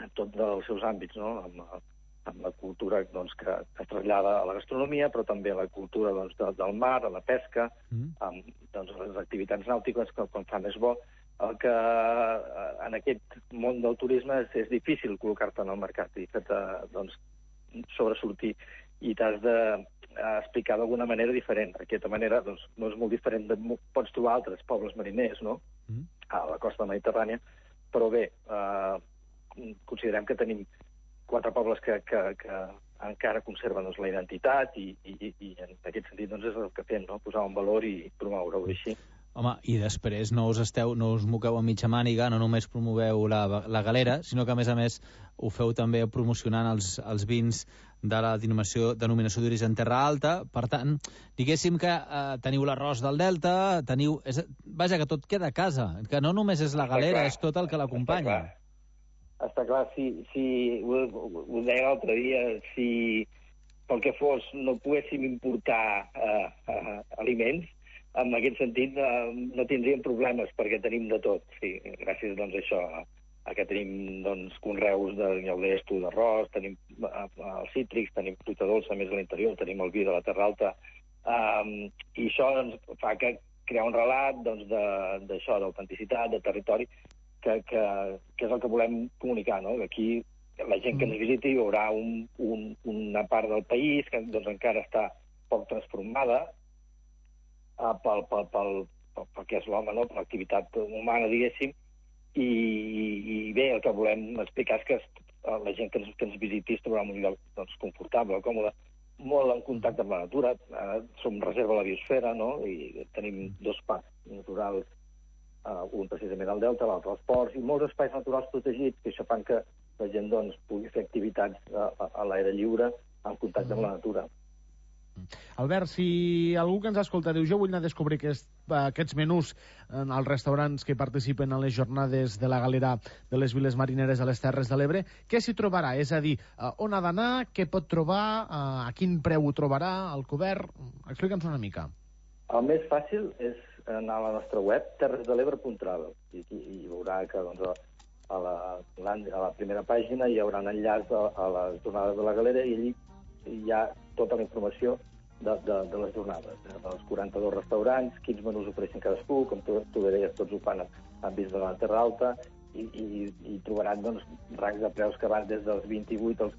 en tots els seus àmbits, no?, amb, amb la cultura doncs, que es trasllada a la gastronomia, però també a la cultura doncs, de, del mar, a la pesca, mm. amb doncs, les activitats nàutiques, que quan fa més bo. El que en aquest món del turisme és, és difícil col·locar-te en el mercat i fer-te doncs, sobresortir, i t'has d'explicar d'alguna manera diferent. D'aquesta manera doncs, no és molt diferent, de, pots trobar altres pobles mariners, no?, mm. a la costa mediterrània, però bé, eh, considerem que tenim quatre pobles que, que, que encara conserven doncs, la identitat, i, i, i en aquest sentit doncs, és el que fem, no?, posar en valor i promoure-ho així. Home, i després no us esteu, no us moqueu a mitja màniga, no només promoveu la, la galera, sinó que a més a més ho feu també promocionant els, els vins de la denominació, denominació d'origen Terra Alta. Per tant, diguéssim que eh, teniu l'arròs del Delta, teniu... És, vaja, que tot queda a casa, que no només és la galera, és tot el que l'acompanya. Està clar, si, si ho, ho deia l'altre dia, si pel que fos no poguéssim importar eh, eh, aliments, en aquest sentit eh, no tindríem problemes perquè tenim de tot. Sí, gràcies doncs, a això, a, a que tenim doncs, conreus de lleudesto, d'arròs, tenim eh, els cítrics, tenim fruita dolça més a l'interior, tenim el vi de la Terra Alta, eh, i això doncs, fa que crear un relat doncs, d'això, d'autenticitat, de territori, Que, que, que és el que volem comunicar, no? Aquí la gent que ens visiti hi haurà un, un, una part del país que doncs, encara està poc transformada uh, pel, pel, pel, pel, pel que és l'home, no? Per l'activitat humana, diguéssim, i, i bé, el que volem explicar és que la gent que ens, que ens visiti es trobarà en un lloc doncs, confortable, còmode, molt en contacte amb la natura. Uh, som reserva a la biosfera, no? I tenim dos parcs naturals, Uh, un precisament al Delta, l'altre als ports, i molts espais naturals protegits, que això fan que la gent doncs, pugui fer activitats uh, a, a l'aire lliure en contacte mm. amb la natura. Albert, si algú que ens escolta diu jo vull anar a descobrir aquest, aquests menús en els restaurants que participen en les jornades de la galera de les viles marineres a les Terres de l'Ebre, què s'hi trobarà? És a dir, uh, on ha d'anar, què pot trobar, uh, a quin preu ho trobarà, al cobert? Explica'ns una mica. El més fàcil és anar a la nostra web, terres de l'ebre punt travel, i, i, i veurà que doncs, a, la, a la primera pàgina hi haurà un enllaç a, a les jornades de la galera i allí hi ha tota la informació de, de, de les jornades, eh, dels quaranta-dos restaurants, quins menús ofereixen cadascú, com tu, tu deies, tots ho fan en vins de la Terra Alta, i, i, i trobaran doncs, rangs de preus que van des dels vint-i-vuit als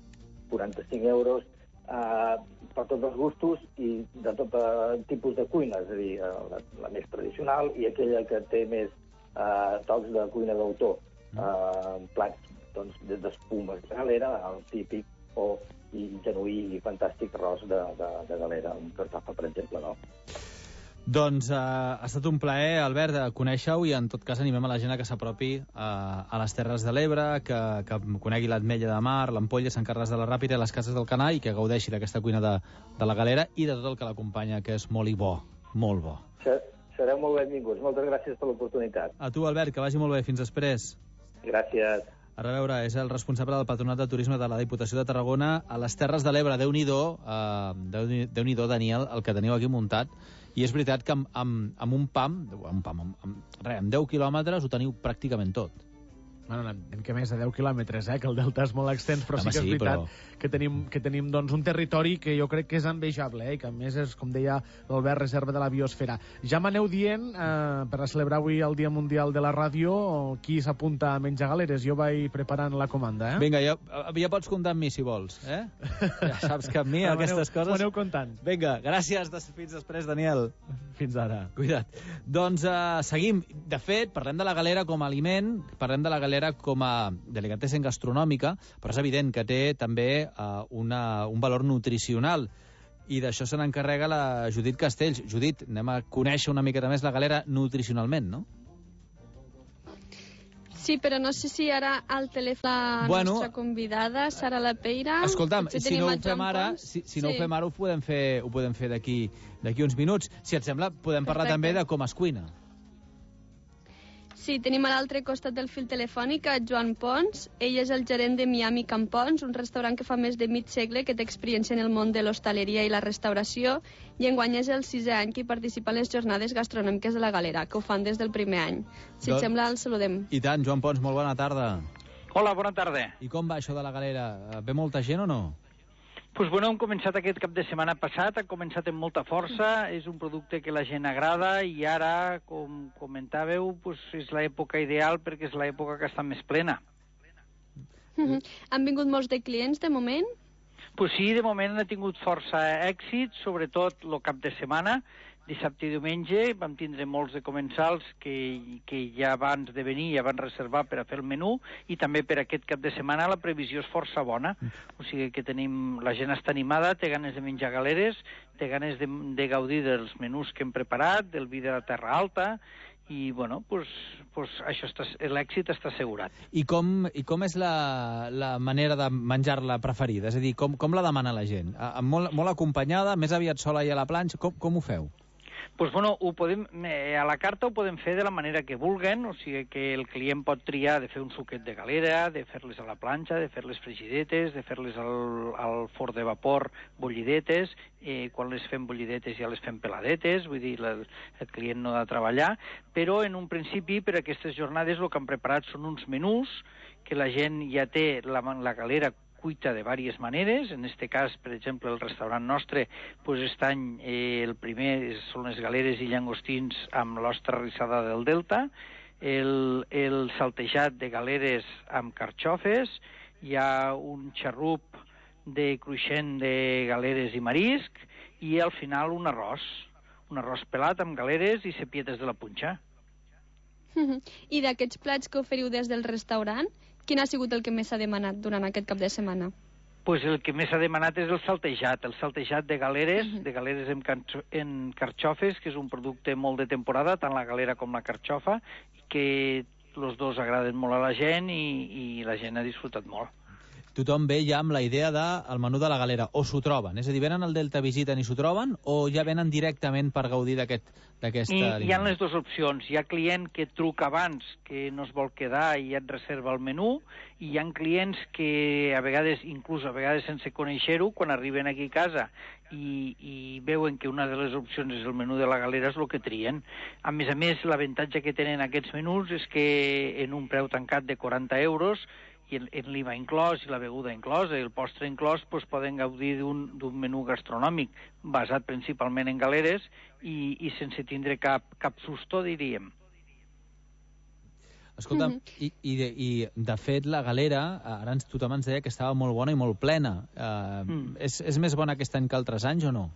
quaranta-cinc euros, Uh, per tots els gustos i de tot uh, tipus de cuina, és a dir, uh, la, la més tradicional i aquella que té més uh, tocs de cuina d'autor, uh, plats doncs, d'espumes de galera, el típic, o i genuí i fantàstic arròs de, de, de galera, un cartofa, per exemple, no? Doncs uh, ha estat un plaer, Albert, conèixer-ho, i en tot cas animem a la gent a que s'apropi uh, a les Terres de l'Ebre, que, que conegui l'Ametlla de Mar, l'Ampolla, Sant Carles de la Ràpita i les Cases del Canà, i que gaudeixi d'aquesta cuina de, de la galera i de tot el que l'acompanya, que és molt i bo, molt bo. Sereu molt benvinguts. Moltes gràcies per l'oportunitat. A tu, Albert, que vagi molt bé. Fins després. Gràcies. A reveure, és el responsable del Patronat de Turisme de la Diputació de Tarragona a les Terres de l'Ebre. Déu-n'hi-do, uh, Déu-n'hi-do, Daniel, el que teniu aquí muntat. I és veritat que amb, amb, amb un pam, amb, pam amb, amb, res, amb deu quilòmetres ho teniu pràcticament tot. Bueno, en què més de deu quilòmetres, eh? Que el delta és molt extens, però Home, sí que és sí, veritat però... que tenim, que tenim doncs, un territori que jo crec que és envejable, eh? I que a més és, com deia l'Albert, reserva de la biosfera. Ja m'aneu dient, eh, per a celebrar avui el Dia Mundial de la Ràdio, qui s'apunta a menjar galeres. Jo vaig preparant la comanda, eh? Vinga, ja, ja pots comptar amb mi, si vols, eh? Ja saps que amb mi aquestes coses... M'ho aneu comptant. Vinga, gràcies, fins després, Daniel. Fins ara. Cuida't. Doncs uh, seguim. De fet, parlem de la galera com a aliment, parlem de la galera com a delicatessen gastronòmica, però és evident que té també uh, una, un valor nutricional, i d'això se n'encarrega la Judit Castells. Judit, anem a conèixer una miqueta més la galera nutricionalment, no? Sí, però no sé si ara al telèfon la bueno, nostra convidada, Sara Lapeira... Escolta'm, si no ho fem ara, si, si no sí. ho fem ara, ho podem fer, ho podem fer d'aquí d'aquí uns minuts. Si et sembla, podem parlar Perfecte. també de com es cuina. Sí, tenim a l'altre costat del fil telefònic a Joan Pons. Ell és el gerent de Miami Campons, un restaurant que fa més de mig segle que té experiència en el món de l'hostaleria i la restauració, i enguany és el sisè any que hi participa en les jornades gastronòmiques de la Galera, que ho fan des del primer any. Si Don... et sembla, el saludem. I tant, Joan Pons, molt bona tarda. Hola, bona tarda. I com va això de la Galera? Ve molta gent o no? Pues bueno, hem començat aquest cap de setmana passat, ha començat amb molta força, és un producte que la gent agrada, i ara, com comentàveu, pues és l'època ideal perquè és l'època que està més plena. Mm-hmm. Han vingut molts de clients de moment? Pues sí, de moment ha tingut força èxit, sobretot el cap de setmana, Dissabte i diumenge vam tindre molts de comensals que, que ja abans de venir ja van reservar per a fer el menú, i també per aquest cap de setmana la previsió és força bona. O sigui que tenim, la gent està animada, té ganes de menjar galeres, té ganes de, de gaudir dels menús que hem preparat, del vi de la Terra Alta, i bueno, pues, pues això està, l'èxit està assegurat. I com, i com és la, la manera de menjar-la preferida? És a dir, com, com la demana la gent? A, molt, molt acompanyada, més aviat sola i a la planxa? Com, com ho feu? Pues bueno, ho podem, a la carta ho podem fer de la manera que vulguen, o sigui que el client pot triar de fer un suquet de galera, de fer-les a la planxa, de fer-les frigidetes, de fer-les al, al forn de vapor bullidetes, eh, quan les fem bullidetes ja les fem peladetes, vull dir, la, el client no ha de treballar, però en un principi per aquestes jornades el que han preparat són uns menús que la gent ja té la, la galera cuita de diverses maneres. En este cas, per exemple, el restaurant nostre, pues, aquest any eh, el primer són les galeres i llangostins amb l'ostra rissada del Delta, el, el saltejat de galeres amb carxofes, hi ha un xarrup de cruixent de galeres i marisc, i al final un arròs, un arròs pelat amb galeres i cepietes de la punxa. I d'aquests plats que oferiu des del restaurant, quin ha sigut el que més s'ha demanat durant aquest cap de setmana? Pues el que més s'ha demanat és el saltejat, el saltejat de galeres, uh -huh. de galeres en, en carxofes, que és un producte molt de temporada, tant la galera com la carxofa, que els dos agraden molt a la gent i, i la gent ha disfrutat molt. Tothom ve ja amb la idea del menú de la galera, o s'ho troben? És a dir, venen al Delta, visiten i s'ho troben, o ja venen directament per gaudir d'aquesta aquest, aliment? Hi ha les dues opcions. Hi ha client que truca abans, que no es vol quedar i ja et reserva el menú, i hi ha clients que a vegades, inclús a vegades sense conèixer-ho, quan arriben aquí a casa i, i veuen que una de les opcions és el menú de la galera, és el que trien. A més a més, l'avantatge que tenen aquests menús és que en un preu tancat de quaranta euros, i en l'I V A inclòs i la beguda inclosa i el postre inclòs, doncs poden gaudir d'un menú gastronòmic basat principalment en galeres i, i sense tindre cap, cap susto, diríem. Escolta, mm -hmm. i, i, de, i de fet la galera, ara tothom ens deia que estava molt bona i molt plena. Uh, mm. és, és més bona aquest any que altres anys o no?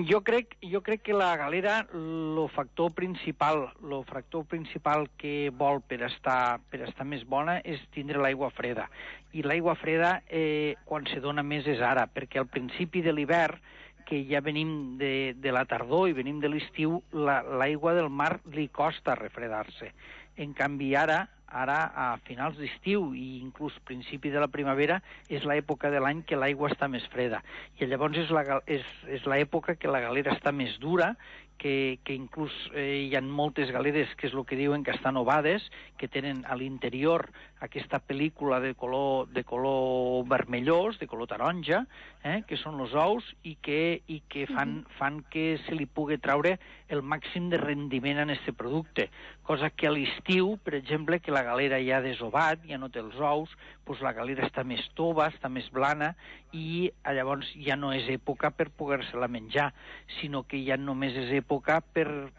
Jo crec, jo crec que la galera, el factor principal, el factor principal que vol per estar, per estar més bona és tindre l'aigua freda. I l'aigua freda, eh, quan se dona més és ara, perquè al principi de l'hivern, que ja venim de, de la tardor i venim de l'estiu, l'aigua la, del mar li costa refredar-se. En canvi, ara, ara a finals d'estiu i inclús principi de la primavera és l'època de l'any que l'aigua està més freda. I llavors és la, és, és l'època que la galera està més dura, que, que inclús eh, hi ha moltes galeres que és el que diuen que estan ovades, que tenen a l'interior aquesta pel·lícula de color, de color vermellós, de color taronja, eh, que són els ous, i que, i que fan, fan que se li pugui treure el màxim de rendiment en aquest producte. Cosa que a l'estiu, per exemple, que la galera ja ha desovat, ja no té els ous, doncs la galera està més tova, està més blana, i llavors ja no és època per poder-se-la menjar, sinó que ja només és època per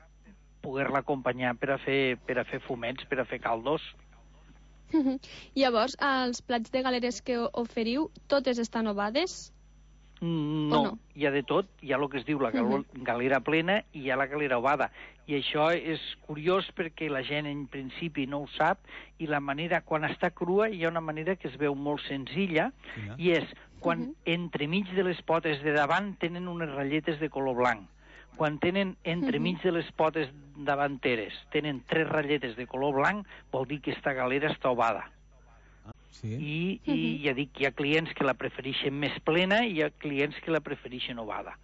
poder-la acompanyar per a fer, per a fer fumets, per a fer caldos. Llavors, els plats de galeres que oferiu, totes estan ovades? No, no, hi ha de tot. Hi ha el que es diu la gal galera plena i hi ha la galera ovada. I això és curiós perquè la gent en principi no ho sap, i la manera, quan està crua, hi ha una manera que es veu molt senzilla, yeah. i és quan uh -huh. entremig de les potes de davant tenen unes ratlletes de color blanc. Quan tenen entremig uh -huh. de les potes davanteres tenen tres ratlletes de color blanc, vol dir que aquesta galera està ovada. Sí. I, i ja dic, hi ha clients que la prefereixen més plena i hi ha clients que la prefereixen ovada.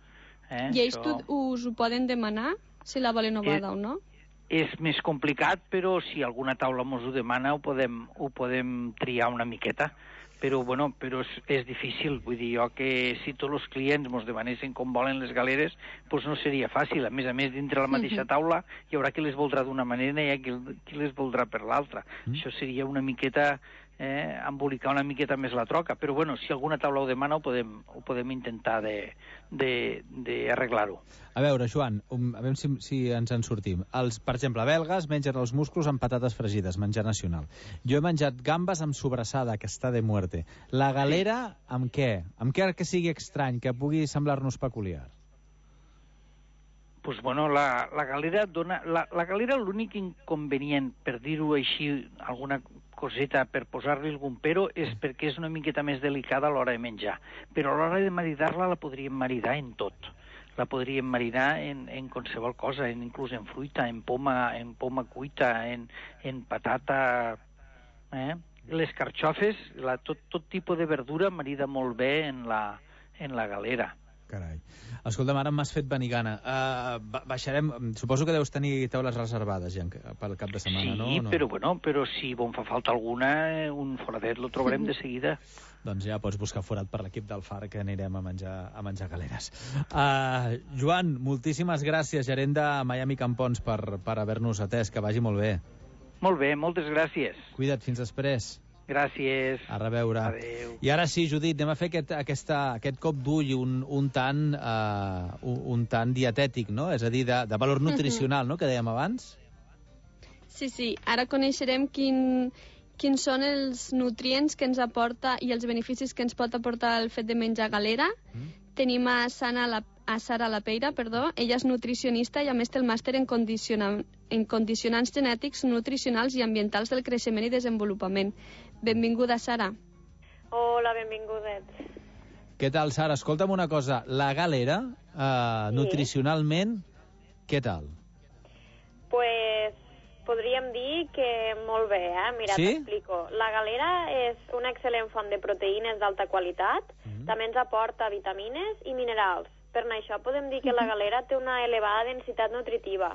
Eh? I ells Això... us ho poden demanar, si la volen ovada eh, o no? És més complicat, però si alguna taula mos ho demana ho podem, ho podem triar una miqueta. Però, bueno, però és, és difícil. Vull dir, jo que si tots els clients mos demanessin com volen les galeres, doncs no seria fàcil. A més a més, dintre la mateixa taula hi haurà qui les voldrà d'una manera i hi ha qui, qui les voldrà per l'altra. Mm. Això seria una miqueta... Eh, embolicar una miqueta més la troca, però bueno, si alguna taula ho demana ho podem, ho podem intentar d'arreglar-ho. A veure, Joan, um, a veure si, si ens en sortim. Els, per exemple, belgues mengen els musclos amb patates fregides, menjar nacional. Jo he menjat gambes amb sobrassada, que està de muerte. La galera, sí. amb què? Amb què que sigui estrany, que pugui semblar-nos peculiar? Pues bueno, la, la galera dona... La, la galera l'únic inconvenient, per dir-ho així, alguna coseta per posar-li algun pero, és perquè és una miqueta més delicada a l'hora de menjar. Però a l'hora de maridar-la la podríem maridar en tot. La podríem marinar en, en qualsevol cosa, en, inclús en fruita, en poma, en poma cuita, en, en patata... Eh? Les carxofes, la, tot, tot tipus de verdura marida molt bé en la, en la galera. Carai. Escolta'm, ara m'has fet venir gana. Uh, baixarem... Suposo que deus tenir taules reservades ja pel cap de setmana, sí, no? Sí, no? però bueno, però si bon fa falta alguna, un foradet lo trobarem de seguida. Doncs ja pots buscar forat per l'equip del Far, que anirem a menjar, a menjar galeres. Uh, Joan, moltíssimes gràcies, gerent de Miami Campons, per, per haver-nos atès. Que vagi molt bé. Molt bé, moltes gràcies. Cuida't, fins després. Gràcies. A reveure. Adéu. I ara sí, Judit, anem a fer aquest, aquesta, aquest cop d'ull un, un, tant, uh, un, un tant dietètic, no? És a dir, de, de valor nutricional, no?, que dèiem abans. Sí, sí. Ara coneixerem quin, quins són els nutrients que ens aporta i els beneficis que ens pot aportar el fet de menjar galera. Mm. Tenim a Sana la a Sara Lapeira, perdó. Ella és nutricionista i a més té el màster en, condiciona... en condicionants genètics, nutricionals i ambientals del creixement i desenvolupament. Benvinguda, Sara. Hola, benvingudets. Què tal, Sara? Escolta'm una cosa. La galera, eh, sí. nutricionalment, què tal? Pues podríem dir que molt bé, eh? Mira, sí? T'explico. La galera és una excel·lent font de proteïnes d'alta qualitat, mm-hmm. també ens aporta vitamines i minerals. Per això podem dir que la galera té una elevada densitat nutritiva,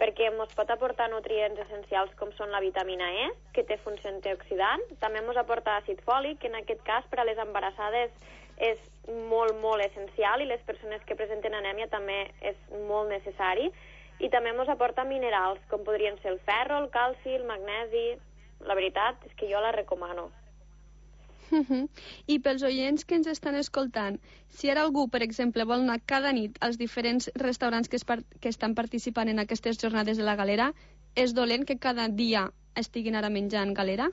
perquè ens pot aportar nutrients essencials com són la vitamina E, que té funció antioxidant, també ens aporta àcid fòlic, que en aquest cas per a les embarassades és molt, molt essencial, i les persones que presenten anèmia també és molt necessari, i també ens aporta minerals, com podrien ser el ferro, el calci, el magnesi. La veritat és que jo la recomano. Uh-huh. I pels oients que ens estan escoltant, si ara algú, per exemple, vol anar cada nit als diferents restaurants que, es par que estan participant en aquestes jornades de la galera, és dolent que cada dia estiguin ara menjant galera?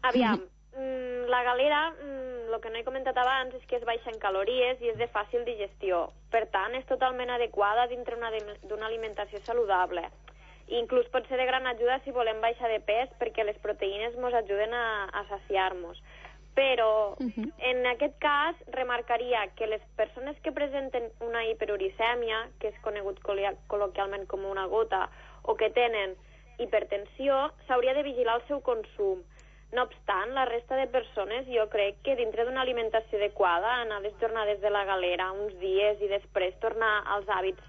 Aviam, mm, la galera, mm, el que no he comentat abans és que és baixa en calories i és de fàcil digestió. Per tant, és totalment adequada dintre d'una alimentació saludable. Inclús pot ser de gran ajuda si volem baixar de pes, perquè les proteïnes ens ajuden a, a saciar-nos. Però, uh-huh. en aquest cas, remarcaria que les persones que presenten una hiperuricèmia, que és conegut col·loquialment com una gota, o que tenen hipertensió, s'hauria de vigilar el seu consum. No obstant, la resta de persones, jo crec que dintre d'una alimentació adequada, anar a les jornades de la galera uns dies i després tornar als hàbits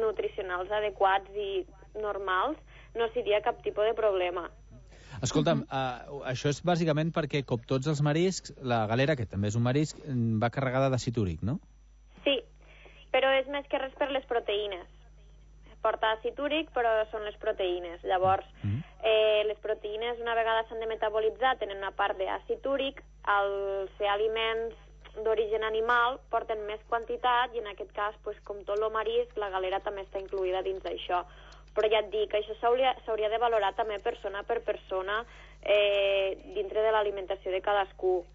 nutricionals adequats i normals, no seria cap tipus de problema. Escolta'm, uh, això és bàsicament perquè, com tots els mariscs, la galera, que també és un marisc, va carregada d'àcid úric, no? Sí, però és més que res per les proteïnes. Porta àcid úric, però són les proteïnes. Llavors, mm. eh, les proteïnes, una vegada s'han de metabolitzar, tenen una part d'àcid úric. Al ser aliments d'origen animal, porten més quantitat, i en aquest cas, pues, com tot el marisc, la galera també està incluïda dins d'això. Però ja et dic, això s'hauria de valorar també persona per persona eh, dintre de l'alimentació de cadascú.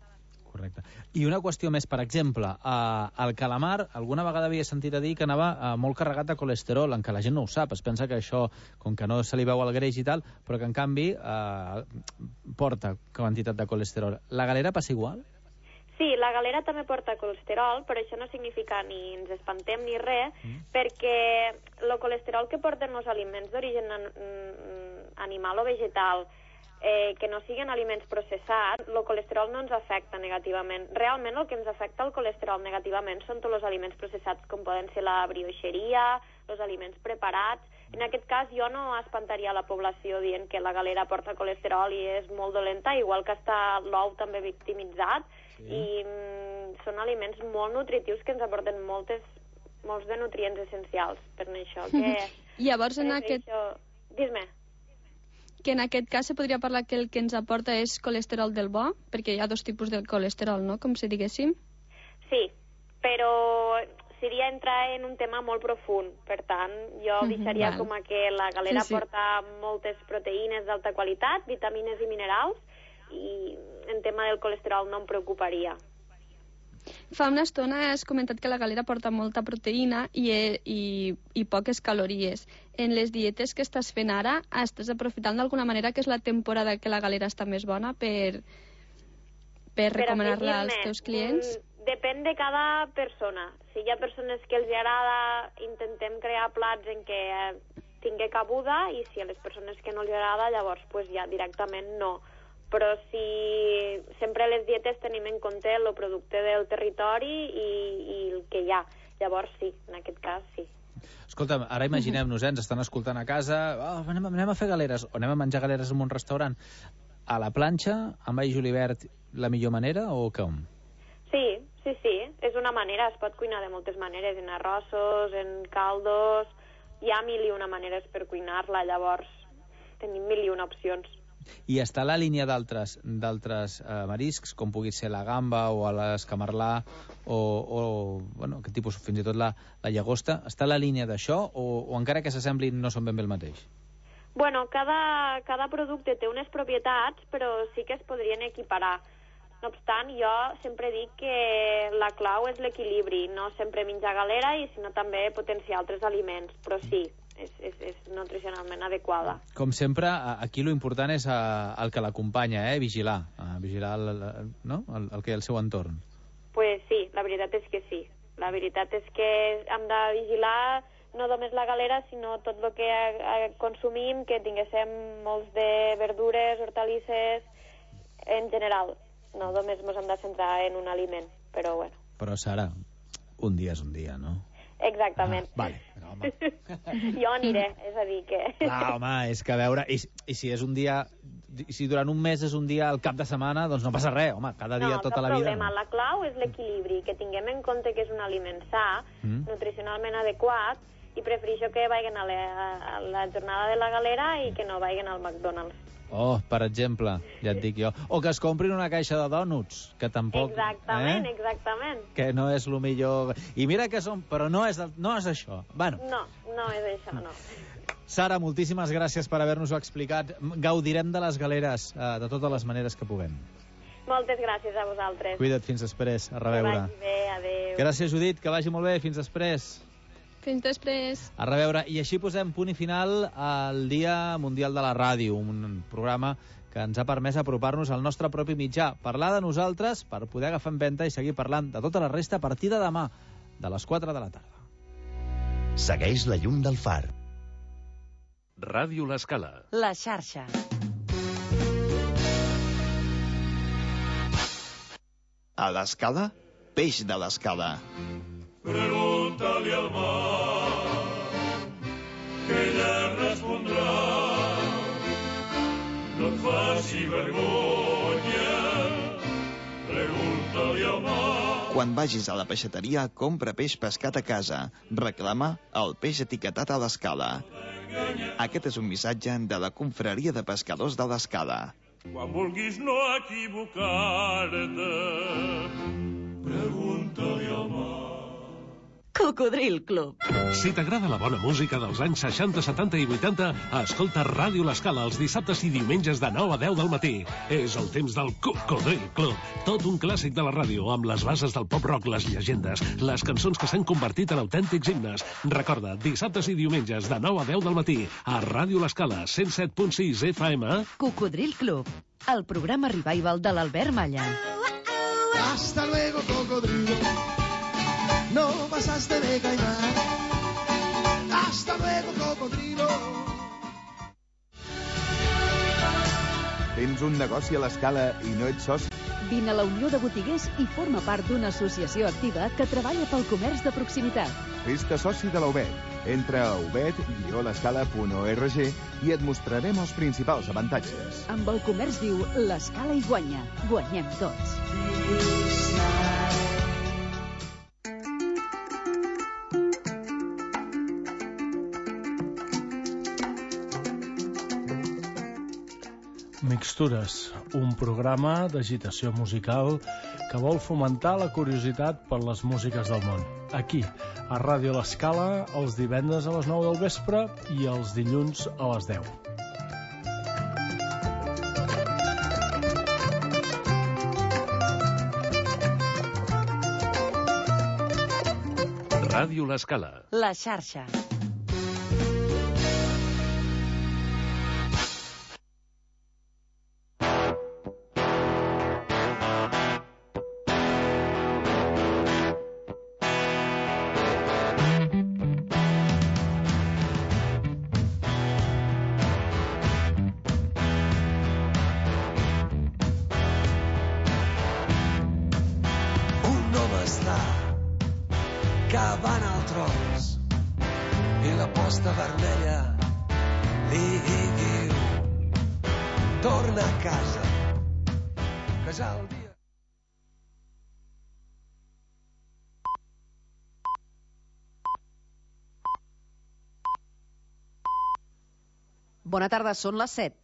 Correcte. I una qüestió més, per exemple, eh, el calamar, alguna vegada havia sentit a dir que anava eh, molt carregat de colesterol, en què la gent no ho sap, es pensa que això, com que no se li veu el greix i tal, però que en canvi eh, porta quantitat de colesterol. La galera passa igual? Sí, la galera també porta colesterol, però això no significa ni ens espantem ni res, mm. perquè el colesterol que porten els aliments d'origen animal o vegetal, eh, que no siguin aliments processats, el colesterol no ens afecta negativament. Realment el que ens afecta el colesterol negativament són tots els aliments processats, com poden ser la brioixeria, els aliments preparats. En aquest cas jo no espantaria la població dient que la galera porta colesterol i és molt dolenta, igual que està l'ou també victimitzat, sí. I mm, són aliments molt nutritius que ens aporten moltes, molts de nutrients essencials. Per això que... Llavors, en aquest... Això... Dis-me. Que en aquest cas se podria parlar que el que ens aporta és colesterol del bo, perquè hi ha dos tipus de colesterol, no?, com si diguéssim. Sí, però seria entrar en un tema molt profund. Per tant, jo deixaria mm-hmm, com a que la galera sí, sí. porta moltes proteïnes d'alta qualitat, vitamines i minerals, i en tema del colesterol no em preocuparia. Fa una estona has comentat que la galera porta molta proteïna i, i, i poques calories. En les dietes que estàs fent ara, estàs aprofitant d'alguna manera que és la temporada que la galera està més bona per, per recomanar-la als teus clients? Depèn de cada persona. Si hi ha persones que els agrada, intentem crear plats en què tingui cabuda, i si a les persones que no els agrada, llavors pues, ja directament no. Però si sempre a les dietes tenim en compte el producte del territori i, i el que hi ha. Llavors sí, en aquest cas sí. Escolta'm, ara imaginem-nos, eh, ens estan escoltant a casa, oh, anem, anem a fer galeres, o anem a menjar galeres en un restaurant. A la planxa, amb all julivert, la millor manera o com? Sí, sí, sí, és una manera, es pot cuinar de moltes maneres, en arrossos, en caldos, hi ha mil i una maneres per cuinar-la, llavors tenim mil i una opcions. I està a la línia d'altres d'altres eh, mariscs, com pugui ser la gamba o l'escamarlà o, o bueno, aquest tipus, fins i tot la, la llagosta, està a la línia d'això o, o encara que s'assemblin no són ben bé el mateix? Bueno, cada, cada producte té unes propietats, però sí que es podrien equiparar. No obstant, jo sempre dic que la clau és l'equilibri, no sempre menjar galera i sinó també potenciar altres aliments, però sí, és, és, és nutricionalment adequada. Com sempre, aquí lo important és el que l'acompanya, eh? Vigilar, vigilar el, no? el, el que hi ha al seu entorn. Pues sí, la veritat és que sí. La veritat és que hem de vigilar no només la galera, sinó tot el que consumim, que tinguéssim molts de verdures, hortalisses, en general. No només ens hem de centrar en un aliment, però bueno. Però, Sara, un dia és un dia, no? Exactament. Ah, vale, però, home. Jo aniré, és a dir que... Clar, home, és que a veure... I, i si és un dia... Si durant un mes és un dia al cap de setmana, doncs no passa res, home, cada dia, no, tota no la vida. Problema. No, la clau és l'equilibri, que tinguem en compte que és un aliment sa, mm. nutricionalment adequat, i prefereixo que vagin a la, a la jornada de la galera i que no vagin al McDonald's. Oh, per exemple, ja et dic jo. O que es comprin una caixa de dònuts, que tampoc... Exactament, eh? exactament. Que no és el millor... I mira que són... Però no és, no és això. Bueno. No, no és això, no. Sara, moltíssimes gràcies per haver-nos-ho explicat. Gaudirem de les galeres eh, de totes les maneres que puguem. Moltes gràcies a vosaltres. Cuida't, fins després. A reveure. Que vagi bé, adéu. Gràcies, Judit, que vagi molt bé. Fins després. Fins després. A reveure. I així posem punt i final al Dia Mundial de la Ràdio, un programa que ens ha permès apropar-nos al nostre propi mitjà, parlar de nosaltres per poder agafar en venta i seguir parlant de tota la resta a partir de demà, de les quatre de la tarda. Segueix la llum del far. Ràdio L'Escala. La xarxa. A l'Escala, peix de l'Escala. Pregúntale al mar, que ella respondrà. No et faci vergonya, pregúntale al mar. Quan vagis a la peixateria, compra peix pescat a casa. Reclama el peix etiquetat a l'Escala. Aquest és un missatge de la Confraria de Pescadors de l'Escala. Quan vulguis no equivocar-te, pregunta-li al mar. Cocodril Club. Si t'agrada la bona música dels anys seixanta, setanta i vuitanta, escolta Ràdio L'Escala els dissabtes i diumenges de nou a deu del matí. És el temps del Cocodril Club. Tot un clàssic de la ràdio, amb les bases del pop-rock, les llegendes, les cançons que s'han convertit en autèntics himnes. Recorda, dissabtes i diumenges de nou a deu del matí, a Ràdio L'Escala, cent set punt sis F M. Cocodril Club, el programa revival de l'Albert Malla. Hasta luego, cocodrilo. No pasaste de caimán. Hasta luego, cocodrilo. Tens un negoci a l'Escala i no ets soci? Vine a la Unió de Botiguers i forma part d'una associació activa que treballa pel comerç de proximitat. Fes-te soci de la U B E T. Entra a u b e t guió l'escala punt org i et mostrarem els principals avantatges. Amb el comerç viu, l'Escala hi guanya. Guanyem tots. Mixtures, un programa d'agitació musical que vol fomentar la curiositat per les músiques del món. Aquí, a Ràdio L'Escala, els divendres a les nou del vespre i els dilluns a les deu. Ràdio L'Escala. La xarxa. Bona tarda, són les set.